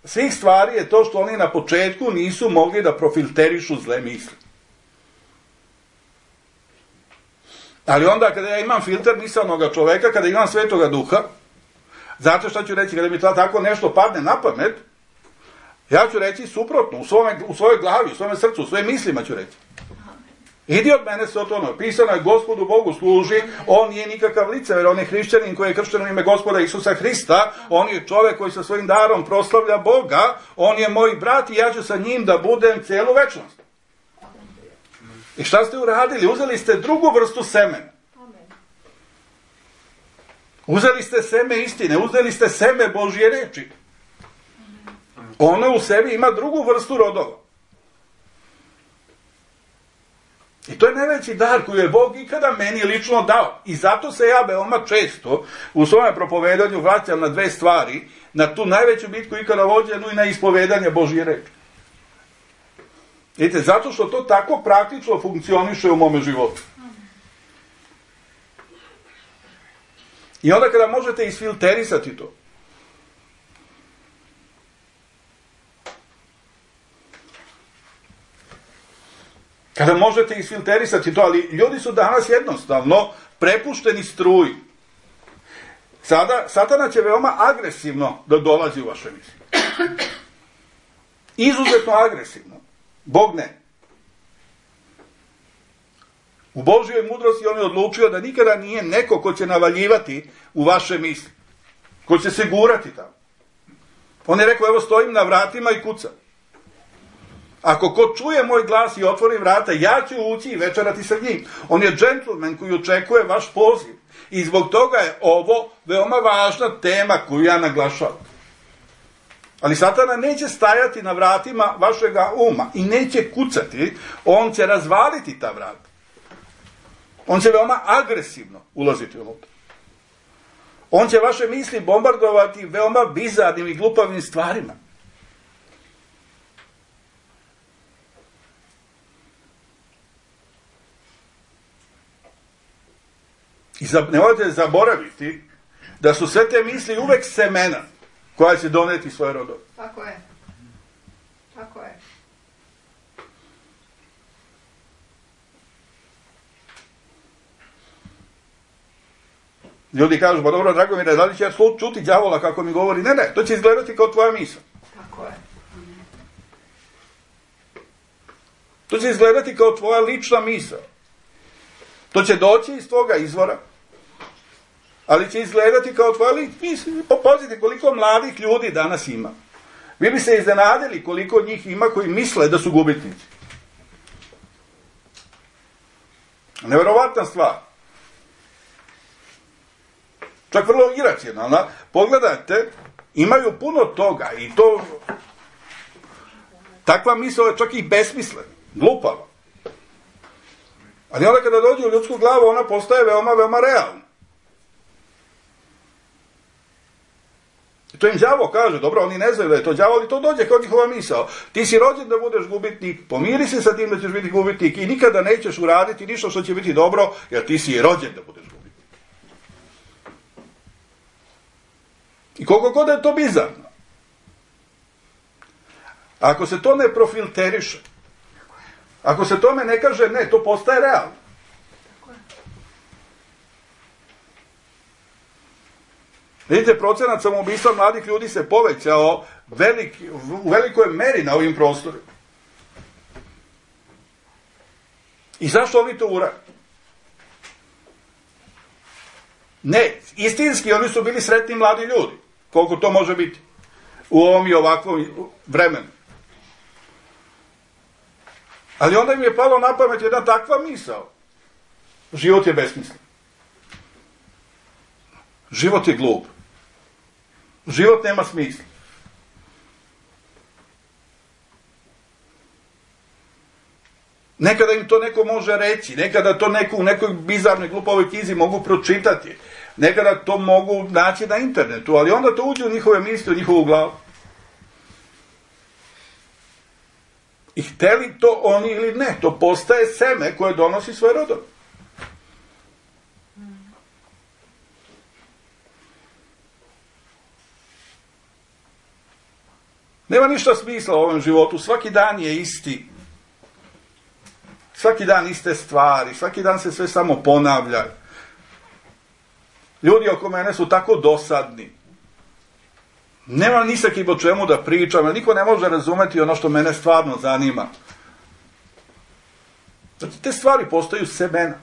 A: svih stvari je to što oni na početku nisu mogli da profilterišu zle misli. Ali onda kada ja imam filter misalnoga čoveka, kada imam Svetoga Duha, znate šta ću reći, kada mi tako nešto padne na pamet, ja ću reći suprotno, u svojoj glavi, u svojem srcu, u svojim mislima ću reći. Idi od mene, Sotone, pisano je Gospodu Bogu služi, on nije nikakav licever, on je hrišćanin koji je kršten u ime Gospoda Isusa Hrista, on je čovjek koji sa svojim darom proslavlja Boga, on je moj brat i ja ću sa njim da budem cijelu večnost. I šta ste uradili? Uzeli ste drugu vrstu semena. Uzeli ste seme istine, uzeli ste seme Božje reči. Ono u sebi ima drugu vrstu rodova. I to je najveći dar koji je Bog ikada meni lično dao. I zato se ja veoma često u svojem propovedanju vraćam na dve stvari, na tu najveću bitku ikada vođenu i na ispovedanje Božje reči. Vidite, zato što to tako praktično funkcioniše u mome životu. I onda kada možete isfilterisati to, kada možete isfilterisati to, ali ljudi su danas jednostavno prepušteni struji. Satana će veoma agresivno da dolazi u vaše misli. Izuzetno agresivno. Bog ne. U Božjoj mudrosti on je odlučio da nikada nije neko ko će navaljivati u vaše misli. Ko će se gurati tamo. On je rekao, evo stojim na vratima i kucam. Ako ko čuje moj glas i otvori vrata, ja ću ući i večerati sa njim. On je džentlmen koji očekuje vaš poziv. I zbog toga je ovo veoma važna tema koju ja naglašavam. Ali Satana neće stajati na vratima vašega uma i neće kucati, on će razvaliti ta vrata. On će veoma agresivno ulaziti unutra. On će vaše misli bombardovati veoma bizarnim i glupavim stvarima. I nemojte zaboraviti da su sve te misli uvek semena koja će doneti svoje rodove.
B: Tako je. Tako je.
A: Ljudi kažu, pa dobro, Dragomire, da li će ja čuti đavola kako mi govori? Ne, to će izgledati kao tvoja misla.
B: Tako je.
A: To će izgledati kao tvoja lična misao. To će doći iz tvoga izvora, ali će izgledati kao tvoja lična misao. Pazite koliko mladih ljudi danas ima. Vi bi se iznenadili koliko njih ima koji misle da su gubitnici. Neverovatna stvar. Čak vrlo iracionalna. Pogledajte, imaju puno toga i to takva misao je čak i besmislena, glupava. Ali onda kada dođe u ljudsku glavu, ona postaje veoma, veoma realna. I to im đavo kaže, dobro, oni ne znaju da je to đavo, ali to dođe kao njihova misao. Ti si rođen da budeš gubitnik, pomiri se sa tim da ćeš biti gubitnik i nikada nećeš uraditi ništa što će biti dobro, jer ti si rođen da budeš gubitnik. I koliko god je to bizarno. Ako se to ne profilteriše, ako se tome ne kaže ne, to postaje realno. Vidite, procenat samoubistva mladih ljudi se povećao u velikoj meri na ovim prostorima. I zašto oni to urade? Ne, istinski oni su bili sretni mladi ljudi. Koliko to može biti u ovom i ovakvom vremenu. Ali onda im je palo na pamet jedna takva misao. Život je besmislen. Život je glup. Život nema smisla. Nekada im to neko može reći, nekada to neko u nekoj bizarnoj glupovoj knjizi mogu pročitati, nekada to mogu naći na internetu, ali onda to uđe u njihove misli, u njihovu glavu. I hteli to oni ili ne, to postaje seme koje donosi svoje rodove. Nema ništa smisla u ovom životu, svaki dan je isti. Svaki dan iste stvari, svaki dan se sve samo ponavlja. Ljudi oko mene su tako dosadni. Nema ni sa kim o čemu da pričam, jer niko ne može razumeti ono što mene stvarno zanima. Znači, te stvari postaju semena.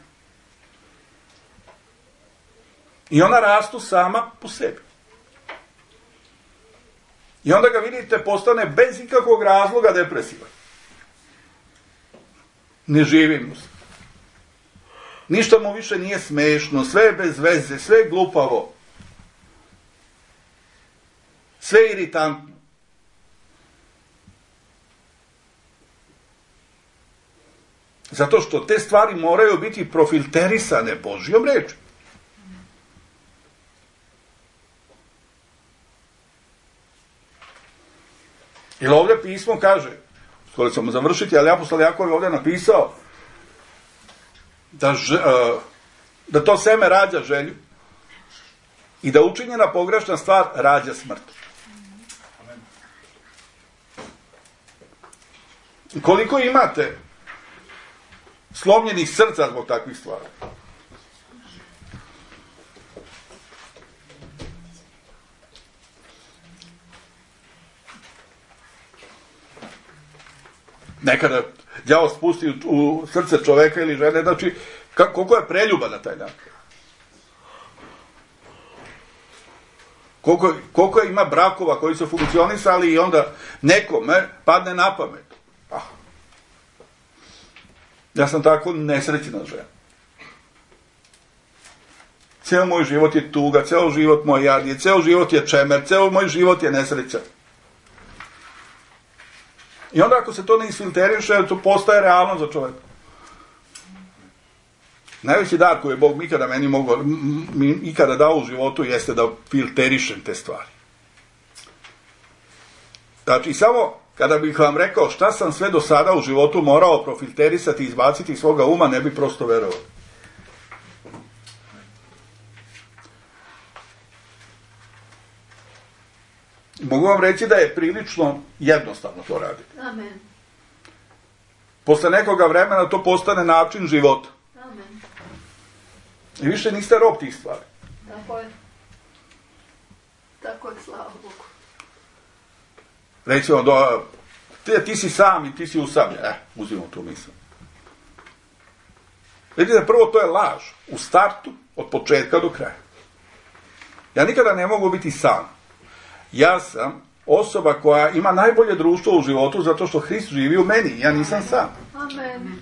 A: I ona rastu sama po sebi. I onda ga vidite postane bez ikakvog razloga depresivan. Ne živi mu se. Ništa mu više nije smešno, sve je bez veze, sve je glupavo. Sve je iritantno. Zato što te stvari moraju biti profilterisane Božjom rečju. Jer ovdje pismo kaže, skoro ćemo završiti, ali apostol Jakov je ovdje napisao da to seme rađa želju i da učinjena pogrešna stvar rađa smrt. Koliko imate slomljenih srca zbog takvih stvari? Nekada đavo spusti u srce čoveka ili žene, znači koliko je preljuba na taj dan. Koliko ima brakova koji su funkcionisali i onda nekome padne na pamet. Ja sam tako nesrećna žena. Ceo moj život je tuga, ceo život moj jad je, ceo život je čemer, ceo moj život je nesreća. I onda ako se to ne isfilteriše, to postaje realno za čovjeka. Najveći dar koji je Bog ikada dao u životu jeste da filterišem te stvari. Znači, samo kada bih vam rekao šta sam sve do sada u životu morao profilterisati i izbaciti iz svoga uma, ne bi prosto verovao. Mogu vam reći da je prilično jednostavno to raditi.
B: Amen.
A: Posle nekoga vremena to postane način života.
B: Amen.
A: I više niste rob tih stvari.
B: Tako je. Tako je, slava Bogu.
A: Recimo, ti si sam i ti si usamljen. Uzimamo tu misao. Vidite, prvo to je laž. U startu, od početka do kraja. Ja nikada ne mogu biti sam. Ja sam osoba koja ima najbolje društvo u životu zato što Hrist živi u meni. Ja nisam sam.
B: Amen.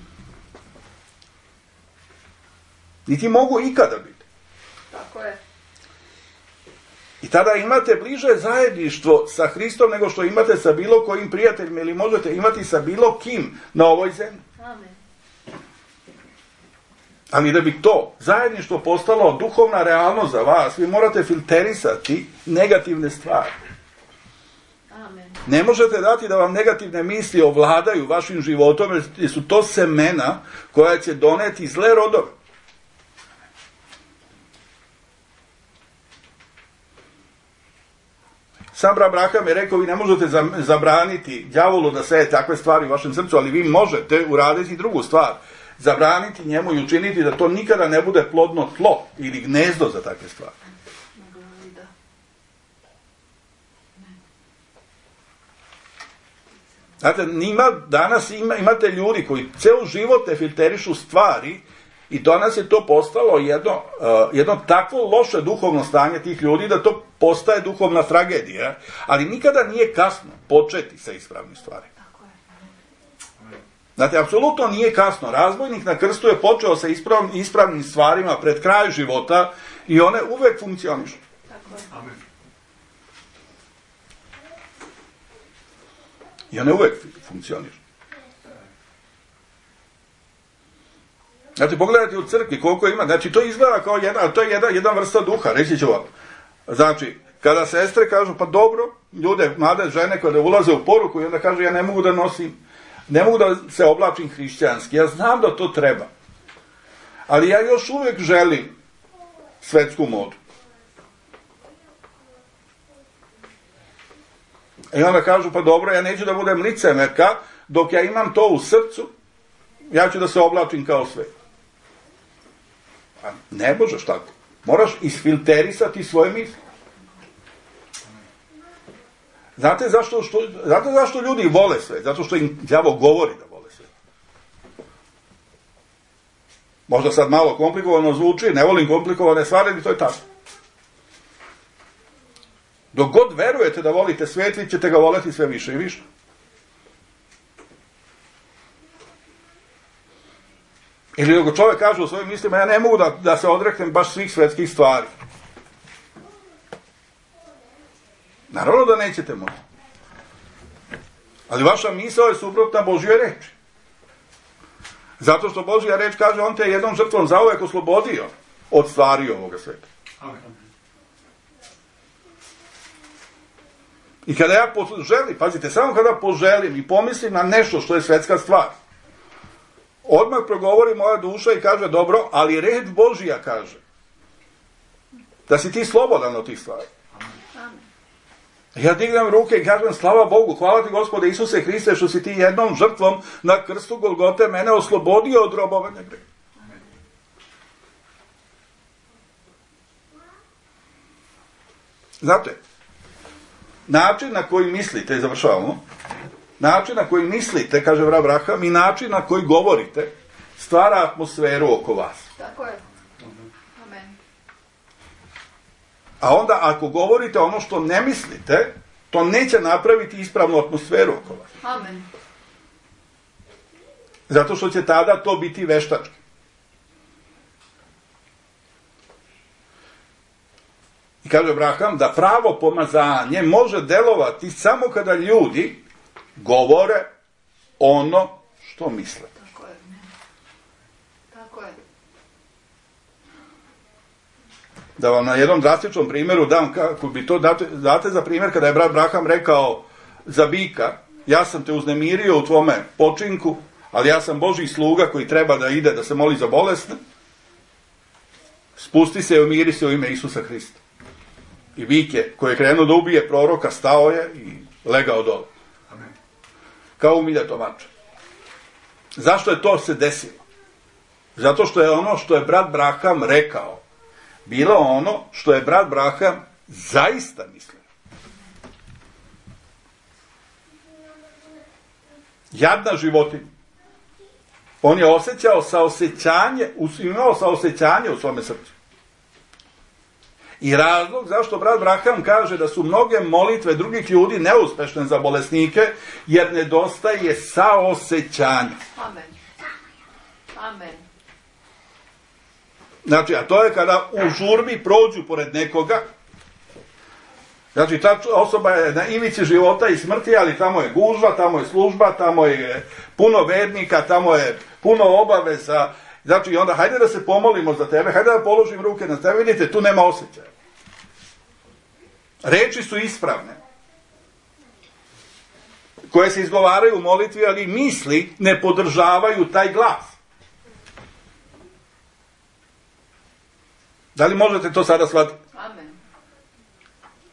A: Niti mogu ikada biti.
B: Tako je.
A: I tada imate bliže zajedništvo sa Hristom nego što imate sa bilo kojim prijateljima ili možete imati sa bilo kim na ovoj zemlji.
B: Amen.
A: Ali da bi to zajedništvo postalo duhovna realnost za vas, vi morate filterisati negativne stvari.
B: Amen.
A: Ne možete dati da vam negativne misli ovladaju vašim životom, jer su to semena koja će doneti zle rodove. Sam Abraham je rekao, vi ne možete zabraniti đavolu da seje takve stvari u vašem srcu, ali vi možete uraditi drugu stvar. Zabraniti njemu i učiniti da to nikada ne bude plodno tlo ili gnezdo za takve stvari. Znate, danas imate ljudi koji ceo život ne filterišu stvari i danas je to postalo jedno takvo loše duhovno stanje tih ljudi da to postaje duhovna tragedija, ali nikada nije kasno početi sa ispravnim stvarima. Znate, apsolutno nije kasno. Razbojnik na krstu je počeo sa ispravnim stvarima pred kraj života i one uvek funkcionišu.
C: Amen.
A: I one uvek funkcionišu. Znači, pogledajte u crkvi koliko ima. Znači, to izgleda kao jedna vrsta duha. Reći ću vam. Znači, kada sestre kažu, pa dobro, ljude, mlade žene kada ulaze u poruku i onda kažu, ja ne mogu da nosim, ne mogu da se oblačim hrišćanski. Ja znam da to treba. Ali ja još uvek želim svetsku modu. I onda kažu, pa dobro, ja neću da budem licemerka, dok ja imam to u srcu, ja ću da se oblačim kao sve. A ne možeš tako. Moraš isfilterisati svoje misli. Znate zašto ljudi vole sve? Zato što im đavo govori da vole sve. Možda sad malo komplikovano zvuči, ne volim komplikovane stvari, ali to je tako. Dok god verujete da volite svet, vi ćete ga voleti sve više i više. Ili dok čovjek kaže u svojim mislima, ja ne mogu da se odreknem baš svih svetskih stvari. Naravno da nećete moći. Ali vaša misao je suprotna Božjoj reči. Zato što Božja reč kaže, on te je jednom žrtvom zauvek oslobodio od stvari ovoga sveta.
C: Amen.
A: I kada ja poželim, pazite, samo kada poželim i pomislim na nešto što je svetska stvar, odmah progovori moja duša i kaže, dobro, ali reč Božja kaže da si ti slobodan od tih stvari. Ja dignem ruke i kažem, slava Bogu, hvala ti Gospode Isuse Hriste što si ti jednom žrtvom na krstu Golgote mene oslobodio od robovanja greha. Znate, način na koji mislite, završavamo, način na koji mislite, kaže Abraham, i način na koji govorite, stvara atmosferu oko vas.
B: Tako je. Amen.
A: A onda ako govorite ono što ne mislite, to neće napraviti ispravnu atmosferu oko vas.
B: Amen.
A: Zato što će tada to biti veštački. I kaže Abraham da pravo pomazanje može delovati samo kada ljudi govore ono što misle.
B: Tako je. Tako je.
A: Da vam na jednom drastičnom primjeru dam, kako bi to date za primjer, kada je brat Abraham rekao za bika, ja sam te uznemirio u tvome počinku, ali ja sam Božji sluga koji treba da ide da se moli za bolesne, spusti se i umiri se u ime Isusa Hrista. I bik je, koji je krenuo da ubije proroka, stao je i legao dole.
C: Amen.
A: Kao umiljato mače. Zašto je to se desilo? Zato što je ono što je brat Abraham rekao bilo ono što je brat Abraham zaista mislio. Jadna životinja. On je osjećao saosećanje, imao saosećanje u svome srcu. I razlog zašto brat Braham kaže da su mnoge molitve drugih ljudi neuspešne za bolesnike, jer nedostaje saosećanja.
B: Amen. Amen.
A: Znači, a to je kada u žurbi prođu pored nekoga, znači ta osoba je na ivici života i smrti, ali tamo je gužva, tamo je služba, tamo je puno vernika, tamo je puno obaveza. Znači, onda hajde da se pomolimo za tebe, hajde da položim ruke na tebe, vidite, tu nema osjećaja. Reči su ispravne, koje se izgovaraju u molitvi, ali misli ne podržavaju taj glas. Da li možete to sada shvatiti?
B: Amen.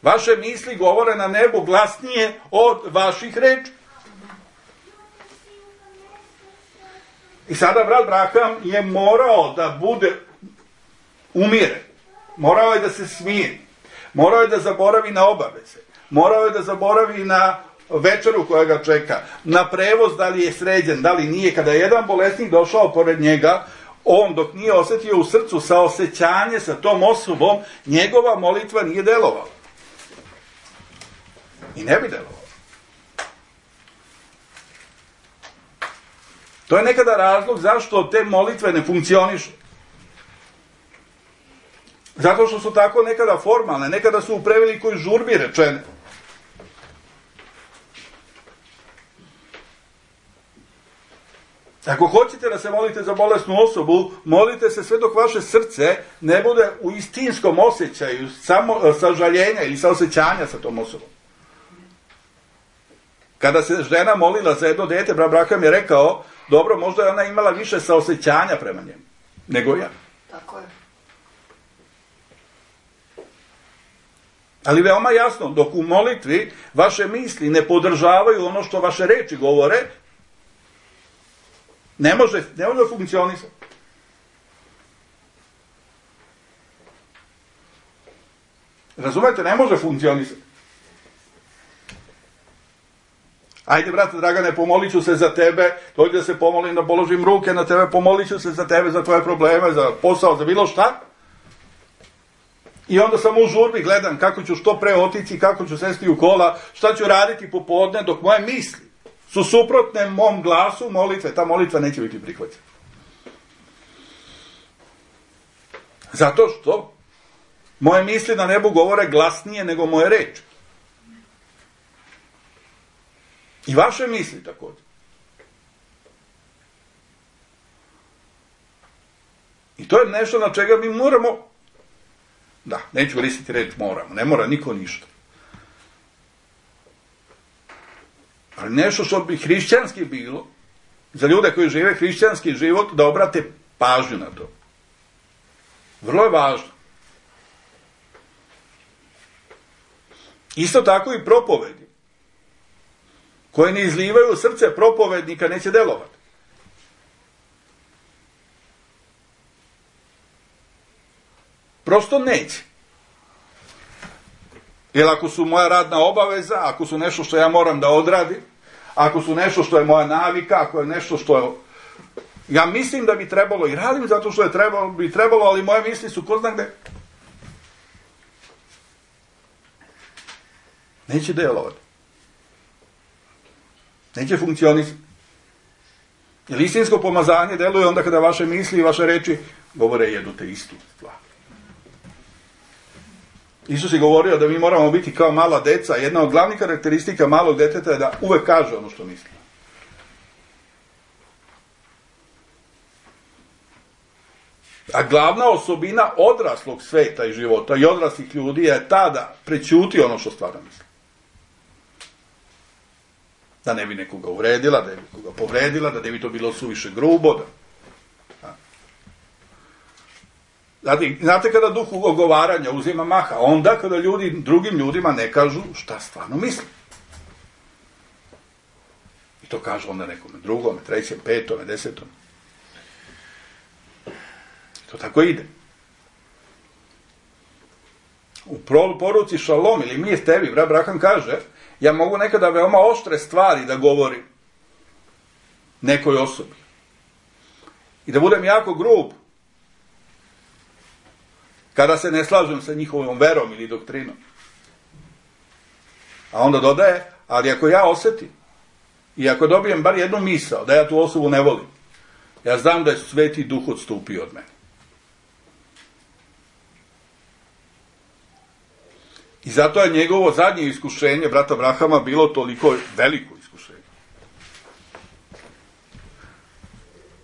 A: Vaše misli govore na nebu glasnije od vaših reči. I sada brat Braham je morao da bude umiren. Morao je da se smiri. Morao je da zaboravi na obaveze. Morao je da zaboravi na večeru koja ga čeka. Na prevoz, da li je sređen, da li nije. Kada je jedan bolesnik došao pored njega, on dok nije osjetio u srcu saosećanje sa tom osobom, njegova molitva nije delovala. I ne bi delovala. To je nekada razlog zašto te molitve ne funkcionišu. Zato što su tako nekada formalne, nekada su u prevelikoj žurbi rečene. Ako hoćete da se molite za bolesnu osobu, molite se sve dok vaše srce ne bude u istinskom osjećaju sažaljenja ili saosećanja sa tom osobom. Kada se žena molila za jedno dete, brat Braham je rekao, dobro, možda je ona imala više saosećanja prema njemu nego ja.
B: Tako je.
A: Ali veoma jasno, dok u molitvi vaše misli ne podržavaju ono što vaše reči govore, ne može funkcionisati. Razumete, ne može funkcionisati. Ajde, brate Dragane, pomolit ću se za tebe, dođi da se pomolim, da položim ruke na tebe, pomolit ću se za tebe, za tvoje probleme, za posao, za bilo šta. I onda sam u žurbi, gledam kako ću što pre otići, kako ću sesti u kola, šta ću raditi popodne, dok moje misli su suprotne mom glasu molitve, ta molitva neće biti prihvaćena. Zato što moje misli na nebu govore glasnije nego moje reči. I vaše misli također. I to je nešto na čega mi moramo, da, neću koristiti reč moramo, ne mora niko ništa. Ali nešto što bi hrišćanski bilo, za ljude koji žive hrišćanski život, da obrate pažnju na to. Vrlo je važno. Isto tako i propovedi, koje ne izlivaju u srce propovednika, neće delovati. Prosto neće. Jer ako su moja radna obaveza, ako su nešto što ja moram da odradim, ako su nešto što je moja navika, ako je nešto što je, ja mislim da bi trebalo i radim zato što bi trebalo, ali moje misli su ko zna gde. Neće delovati. Neće funkcionisati. Jer istinsko pomazanje deluje onda kada vaše misli i vaše reči govore jednu te istu stvar. Isus je govorio da mi moramo biti kao mala deca. Jedna od glavnih karakteristika malog deteta je da uvek kaže ono što misli. A glavna osobina odraslog sveta i života i odraslih ljudi je ta da prećuti ono što stvarno misli. Da ne bi nekoga uvredila, da ne bi nekoga povredila, da ne bi to bilo suviše grubo. Znate kada duh ogovaranja uzima maha? Onda kada ljudi drugim ljudima ne kažu šta stvarno misle. I to kažu onda nekome drugome, trećem, petome, desetome. To tako ide. U poruci Šalom ili mir tebi, brat Braham kaže, ja mogu nekada veoma oštre stvari da govorim. nekoj osobi. I da budem jako grub, kada se ne slažem sa njihovom verom ili doktrinom. A onda dodaje, ali ako ja osjetim i ako dobijem bar jednu misao da ja tu osobu ne volim, ja znam da je Sveti Duh odstupio od mene. I zato je njegovo zadnje iskušenje, brata Abrahama, bilo toliko veliko iskušenje.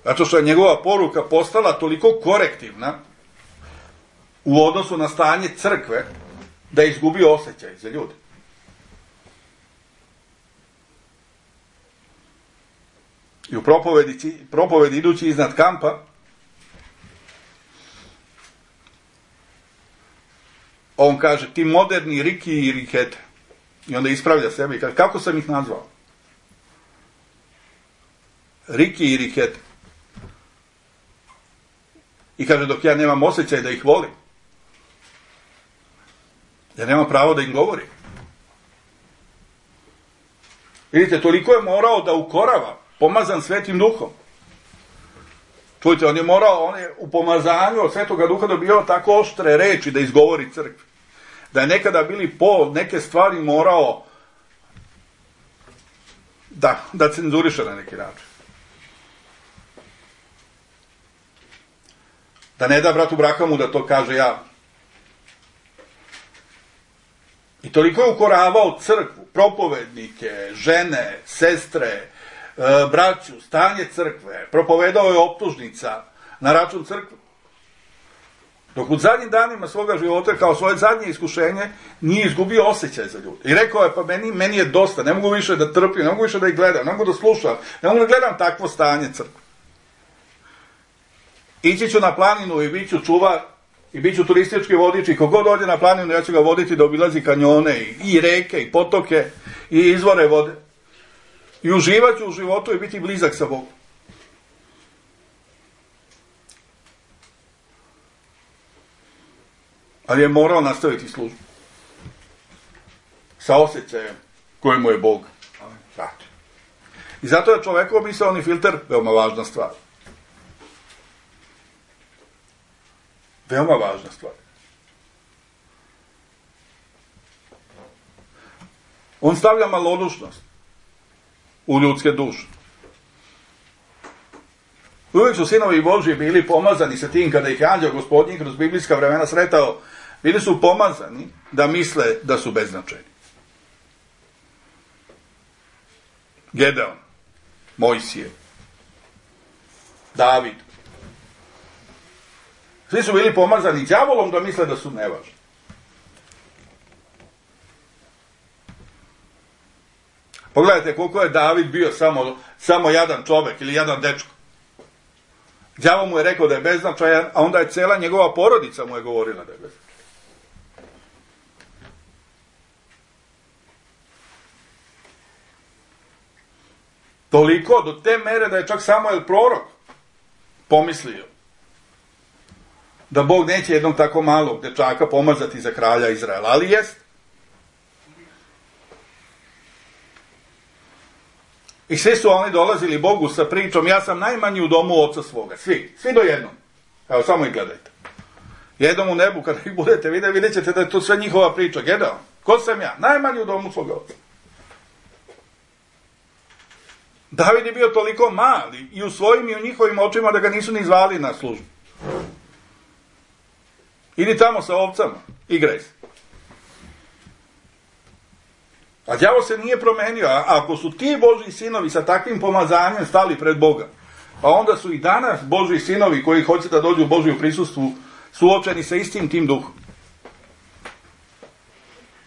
A: Zato što je njegova poruka postala toliko korektivna u odnosu na stanje crkve, da je izgubio osjećaj za ljude. I u propovedi idući iznad kampa, on kaže, ti moderni Riki i Rikete. I onda ispravlja sebe i kaže, kako sam ih nazvao? Riki i Rikete. I kaže, dok ja nemam osjećaj da ih volim, ja nemam pravo da im govorim. Vidite, toliko je morao da ukorava, pomazan Svetim Duhom. Čujte, on je u pomazanju od Svetoga Duha dobio tako oštre reči da izgovori crkvi. Da je nekada bili neke stvari morao da cenzuriše na neki način. Da ne da bratu Brahamu da to kaže ja. I toliko je ukoravao crkvu, propovednike, žene, sestre, braću, stanje crkve, propovedao je optužnica na račun crkve. Dok u zadnjim danima svoga života, kao svoje zadnje iskušenje, nije izgubio osjećaj za ljude. I rekao je, pa meni je dosta, ne mogu više da trpim, ne mogu više da ih gledam, ne mogu da slušam, ne mogu da gledam takvo stanje crkve. Ići ću na planinu i bit ću čuvar, i bit ću turistički vodič, i kogod dođe na planinu, ja ću ga voditi da obilazi kanjone, i reke, i potoke, i izvore vode. I uživat ću u životu i biti blizak sa Bogom. Ali je morao nastaviti službu. Sa osjećajem kojemu je Bog vratio. I zato je čovekov misaoni filter veoma važna stvar. Veoma važna stvar. On stavlja malodušnost u ljudske duše. Uvijek su sinovi Božji bili pomazani sa tim kada ih je anđeo Gospodnji kroz biblijska vremena sretao, bili su pomazani da misle da su beznačajni. Gedeon, Mojsije, David. Svi su bili pomazani đavolom da misle da su nevažni. Pogledajte koliko je David bio samo jedan čovek ili jedan dečko. Đavo mu je rekao da je beznačajan, a onda je cela njegova porodica mu je govorila da je beznačajan. Toliko, do te mere da je čak Samuel prorok pomislio da Bog neće jednog tako malog dečaka pomazati za kralja Izraela, ali jest. I svi su oni dolazili Bogu sa pričom, ja sam najmanji u domu oca svoga. Svi do jednog. Evo, samo ih gledajte. Jednom u nebu, kada ih budete vidjet ćete da je to sve njihova priča. Gedeon, ko sam ja? Najmanji u domu svoga oca. David je bio toliko mali i u svojim i u njihovim očima da ga nisu ni zvali na službu. Idi tamo sa ovcama, igraj se. A đavo se nije promenio, a ako su ti Božji sinovi sa takvim pomazanjem stali pred Boga, pa onda su i danas Božji sinovi koji hoće da dođu u Božju prisustvu suočeni sa istim tim duhom.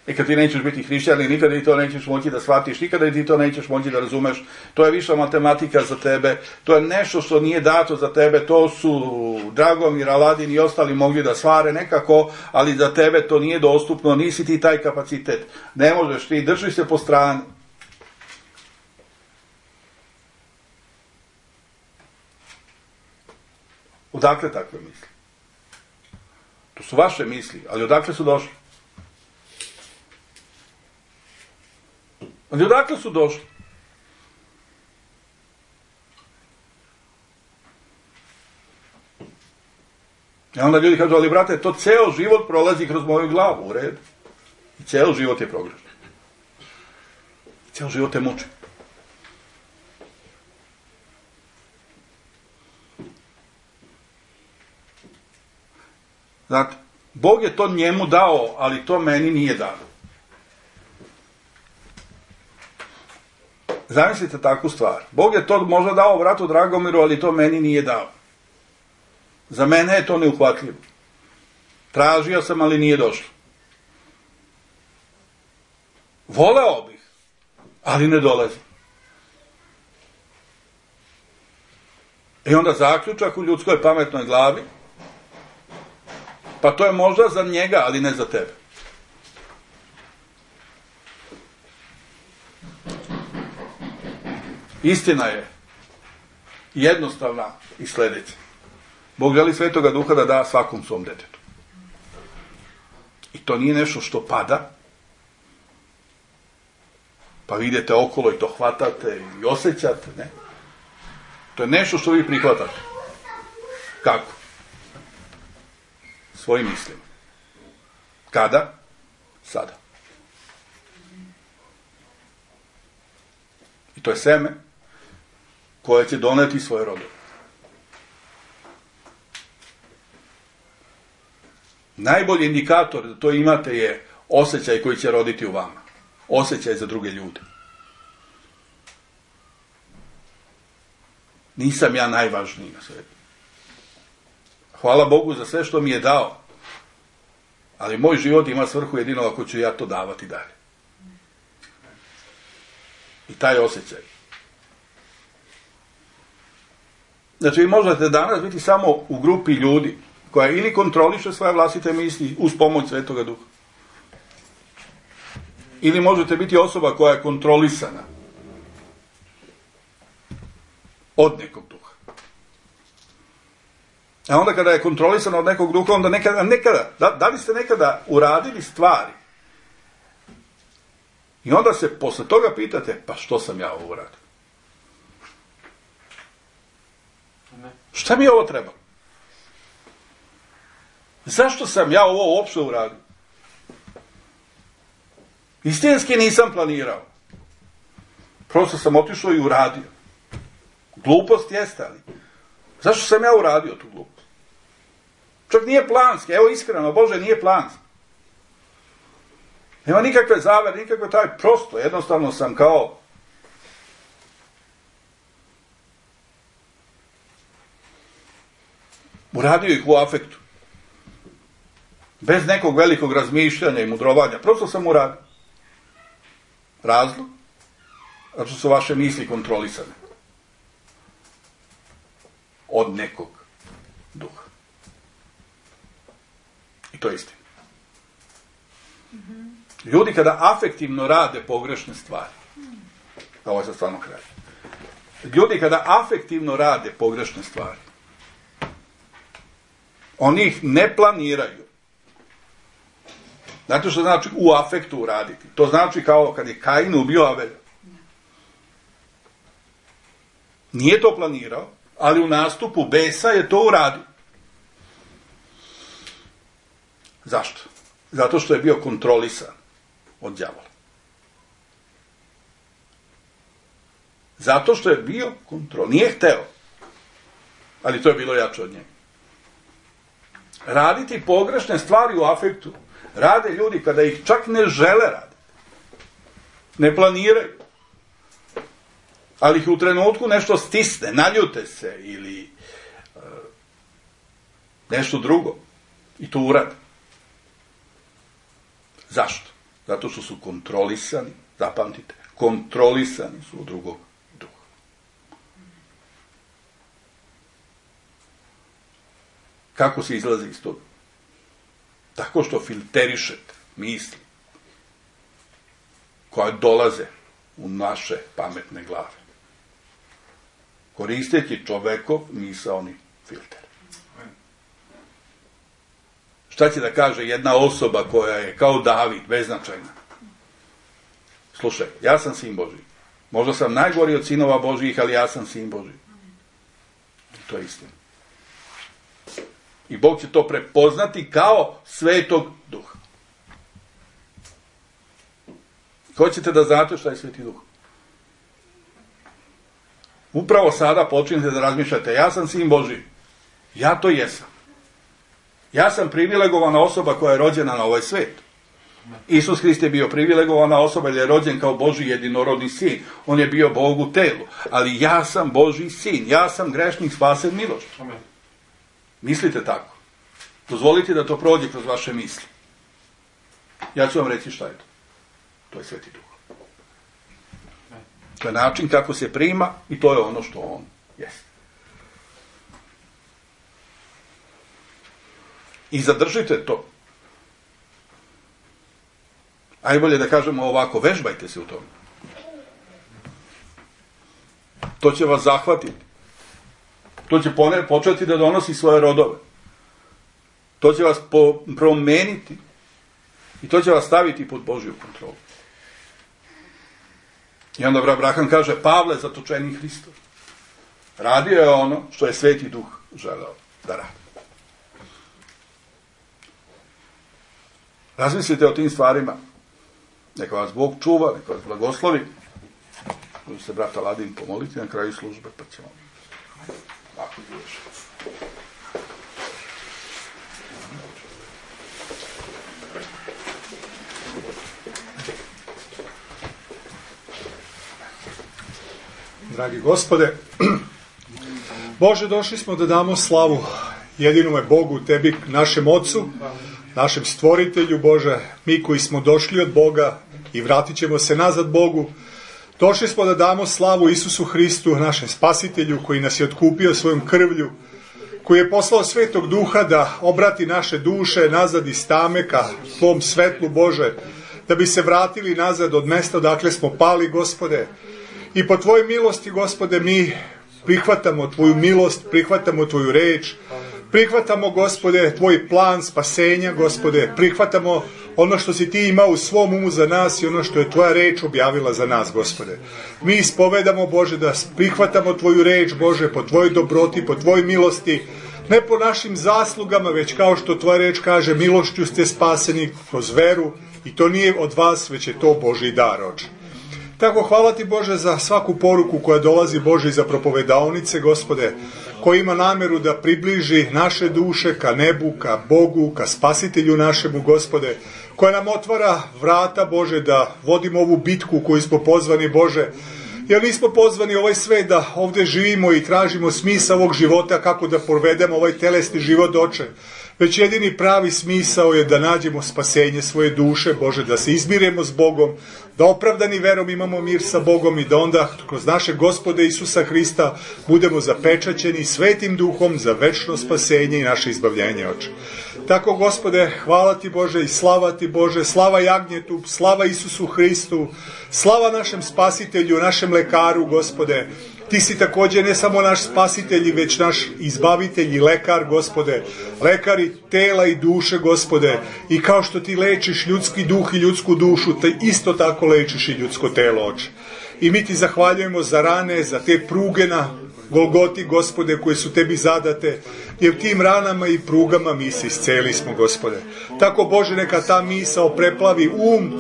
A: I kad ti nećeš biti hrišćanin, nikada i to nećeš moći da shvatiš, nikada i ti to nećeš moći da razumeš, to je viša matematika za tebe, to je nešto što nije dato za tebe, to su Dragomir, Aladin i ostali mogli da svare nekako, ali za tebe to nije dostupno, nisi ti taj kapacitet, ne možeš ti, drži se po strani. Odakle takve misli? To su vaše misli, ali odakle su došli? Ali odakle su došli? I onda ljudi kažu, ali brate, to ceo život prolazi kroz moju glavu, u redu. I ceo život je progrešan. Ceo život te muči. Znate, Bog je to njemu dao, ali to meni nije dao. Zamislite takvu stvar. Bog je to možda dao bratu Dragomiru, ali to meni nije dao. Za mene je to neuhvatljivo. Tražio sam, ali nije došlo. Voleo bih, ali ne dolazi. I onda zaključak u ljudskoj pametnoj glavi, pa to je možda za njega, ali ne za tebe. Istina je jednostavna i sljedeća. Bog želi Svetoga Duha da da svakom svom detetu. I to nije nešto što pada, pa vidite okolo i to hvatate i osjećate, ne? To je nešto što vi prihvatate. Kako? Svojim mislima. Kada? Sada. I to je seme koje će doneti svoje rodove. Najbolji indikator da to imate je osjećaj koji će roditi u vama. Osjećaj za druge ljude. Nisam ja najvažniji na svijetu. Hvala Bogu za sve što mi je dao. Ali moj život ima svrhu jedino ako ću ja to davati dalje. I taj osjećaj. Znači, vi možete danas biti samo u grupi ljudi koja ili kontroliše svoje vlastite misli uz pomoć Svetoga Duha. Ili možete biti osoba koja je kontrolisana od nekog duha. A onda kada je kontrolisana od nekog duha, onda nekada, da li ste nekada uradili stvari? I onda se posle toga pitate, pa što sam ja ovo uradio? Šta mi je ovo trebalo? Zašto sam ja ovo uopšte uradio? Istinski nisam planirao. Prosto sam otišao i uradio. Glupost jeste, ali zašto sam ja uradio tu glupost? Čak nije planski, evo iskreno, Bože, nije planski. Nema nikakve zavere, nikakve taj, prosto, jednostavno sam kao uradio ih u afektu. Bez nekog velikog razmišljanja i mudrovanja. Prosto sam uradio. Razlog? Zato su vaše misli kontrolisane. Od nekog duha. I to je istina. Ljudi kada afektivno rade pogrešne stvari, ovo je sad stvarno kraj. Ljudi kada afektivno rade pogrešne stvari, oni ih ne planiraju. Znate što znači u afektu uraditi? To znači kao kad je Kain ubio Avelja. Nije to planirao, ali u nastupu besa je to uradio. Zašto? Zato što je bio kontrolisan od đavola. Zato što je bio nije hteo, ali to je bilo jače od njega. Raditi pogrešne stvari u afektu rade ljudi kada ih čak ne žele raditi. Ne planiraju. Ali ih u trenutku nešto stisne, naljute se ili nešto drugo. I to urade. Zašto? Zato što su kontrolisani, zapamtite, kontrolisani su od drugog duha. Kako se izlazi iz toga? Tako što filterišete misli koje dolaze u naše pametne glave. Koristeći čovekov misaoni filter. Šta će da kaže jedna osoba koja je kao David, beznačajna? Slušaj, ja sam sin Božji. Možda sam najgori od sinova Božjih, ali ja sam sin Božji. To je istina. I Bog će to prepoznati kao Svetog Duha. Hoćete da znate šta je Sveti Duh? Upravo sada počinjete da razmišljate, ja sam sin Božji. Ja to jesam. Ja sam privilegovana osoba koja je rođena na ovaj svet. Isus Hrist je bio privilegovana osoba jer je rođen kao Božji jedinorodni sin. On je bio Bog u telu. Ali ja sam Božji sin. Ja sam grešnik spasen milošću. Mislite tako. Dozvolite da to prođe kroz vaše misli. Ja ću vam reći šta je to. To je Sveti Duh. To je način kako se prima i to je ono što on jeste. I zadržite to. Ajbolje da kažemo ovako, vežbajte se u tome. To će vas zahvatiti. To će početi da donosi svoje rodove. To će vas promeniti. I to će vas staviti pod Božju kontrolu. I onda Abraham kaže, Pavle, zatočeni Hristos. Radio je ono što je Sveti Duh želeo da radi. Razmislite o tim stvarima. Neka vas Bog čuva, neka vas blagoslovi. Može se brata Ladin pomoliti na kraju službe, pa ćemo ovako završiti.
D: Dragi Gospode, Bože, došli smo da damo slavu jedinome Bogu, Tebi, našem Ocu, našem Stvoritelju, Bože, mi koji smo došli od Boga i vratit ćemo se nazad Bogu. Došli smo da damo slavu Isusu Hristu, našem Spasitelju, koji nas je otkupio svojom krvlju, koji je poslao Svetog Duha da obrati naše duše nazad iz tame ka Tvom svetlu, Bože, da bi se vratili nazad od mesta odakle smo pali, Gospode. I po Tvojoj milosti, Gospode, mi prihvatamo Tvoju milost, prihvatamo Tvoju reč, prihvatamo, Gospode, Tvoj plan spasenja, Gospode, prihvatamo ono što si Ti imao u svom umu za nas i ono što je Tvoja reč objavila za nas, Gospode. Mi ispovedamo, Bože, da prihvatamo Tvoju reč, Bože, po Tvojoj dobroti, po Tvojoj milosti, ne po našim zaslugama, već kao što Tvoja reč kaže, milošću ste spaseni kroz veru i to nije od vas, već je to Božji dar, Oče. Tako hvala Ti, Bože, za svaku poruku koja dolazi, Bože, iza propovedaonice, Gospode, koji ima nameru da približi naše duše ka nebu, ka Bogu, ka Spasitelju našemu, Gospode, koja nam otvara vrata, Bože, da vodimo ovu bitku koju smo pozvani, Bože, jer nismo pozvani ovaj svet da ovdje živimo i tražimo smisao ovog života, kako da provedemo ovaj telesni život, Oče, već jedini pravi smisao je da nađemo spasenje svoje duše, Bože, da se izmiremo s Bogom, da opravdani verom imamo mir sa Bogom i da onda kroz naše Gospode Isusa Hrista budemo zapečaćeni Svetim Duhom za večno spasenje i naše izbavljenje, Oče. Tako, Gospode, hvala Ti, Bože, i slava Ti, Bože, slava Jagnjetu, slava Isusu Hristu, slava našem Spasitelju, našem lekaru, Gospode. Ti si također ne samo naš spasitelj, već naš izbavitelj i lekar, Gospode. Lekar i tela i duše, Gospode. I kao što Ti lečiš ljudski duh i ljudsku dušu, Ti isto tako lečiš i ljudsko telo, Oče. I mi Ti zahvaljujemo za rane, za te pruge na Golgoti, Gospode, koje su Tebi zadate, jer tim ranama i prugama mi se isceli smo, Gospode. Tako, Bože, neka ta misao preplavi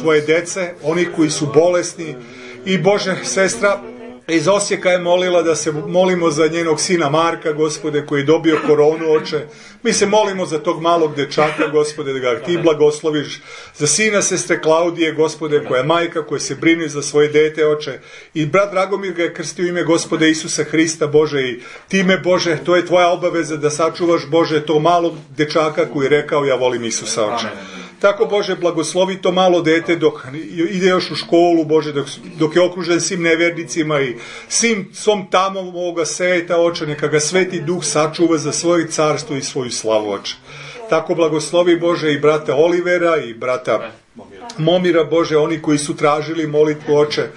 D: Tvoje dece, oni koji su bolesni. I, Bože, sestra iz Osijeka je molila da se molimo za njenog sina Marka, Gospode, koji je dobio koronu, Oče. Mi se molimo za tog malog dečaka, Gospode, da ga Ti blagosloviš, za sina sestre Klaudije, Gospode, koja je majka, koja se brine za svoje dete, Oče. I brat Dragomir ga je krstio ime Gospode Isusa Hrista, Bože, i time, Bože, to je Tvoja obaveza da sačuvaš, Bože, tog malog dečaka koji je rekao, ja volim Isusa, Oče. Tako, Bože, blagoslovi to malo dete dok ide još u školu, Bože, dok je okružen svim nevernicima i svim svom tamom ovoga sveta, Oče, neka ga Sveti Duh sačuva za svoje carstvo i svoju slavu, Oče. Tako blagoslovi, Bože, i brata Olivera i brata Momira, Bože, oni koji su tražili molitvu, Oče.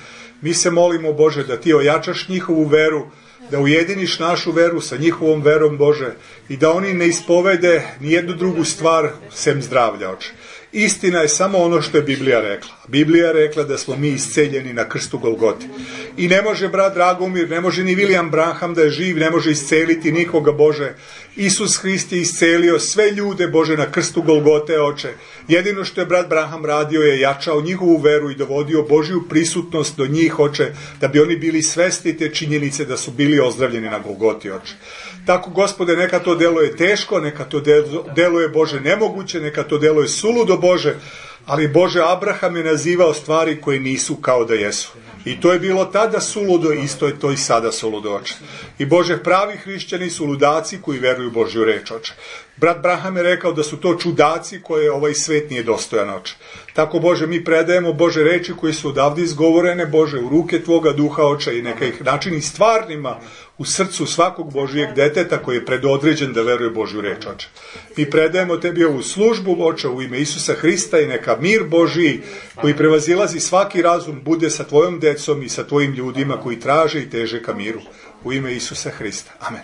D: Mi se molimo, Bože, da Ti ojačaš njihovu veru, da ujediniš našu veru sa njihovom verom, Bože, i da oni ne ispovede ni jednu drugu stvar sem zdravlja, Oče. Istina je samo ono što je Biblija rekla. Biblija je rekla da smo mi isceljeni na krstu Golgoti. I ne može brat Dragomir, ne može ni William Branham da je živ, ne može isceliti nikoga, Bože, Isus Hrist je iscelio sve ljude, Bože, na krstu Golgote, Oče. Jedino što je brat Branham radio je jačao njihovu veru i dovodio Božju prisutnost do njih, Oče, da bi oni bili svesni te činjenice da su bili ozdravljeni na Golgoti, Oče. Tako, Gospode, neka to deluje teško, neka to deluje, Bože, nemoguće, neka to deluje suludo, Bože, ali, Bože, Abraham je nazivao stvari koje nisu kao da jesu. I to je bilo tada suludo, isto je to i sada suludo, Oče. I, Bože, pravi hrišćani su ludaci koji veruju Božju reč, Oče. Brat Branham je rekao da su to čudaci koje ovaj svet nije dostojan, Oče. Tako, Bože, mi predajemo, Bože, reči koje su odavde izgovorene, Bože, u ruke Tvoga duha, Oče, i neka ih načini stvarnima u srcu svakog Božijeg deteta koji je predodređen da veruje Božju reč, Oče. Mi predajemo Tebi ovu službu, Oče, u ime Isusa Hrista, i neka mir Božiji koji prevazilazi svaki razum bude sa Tvojom decom i sa Tvojim ljudima koji traže i teže ka miru. U ime Isusa Hrista. Amen.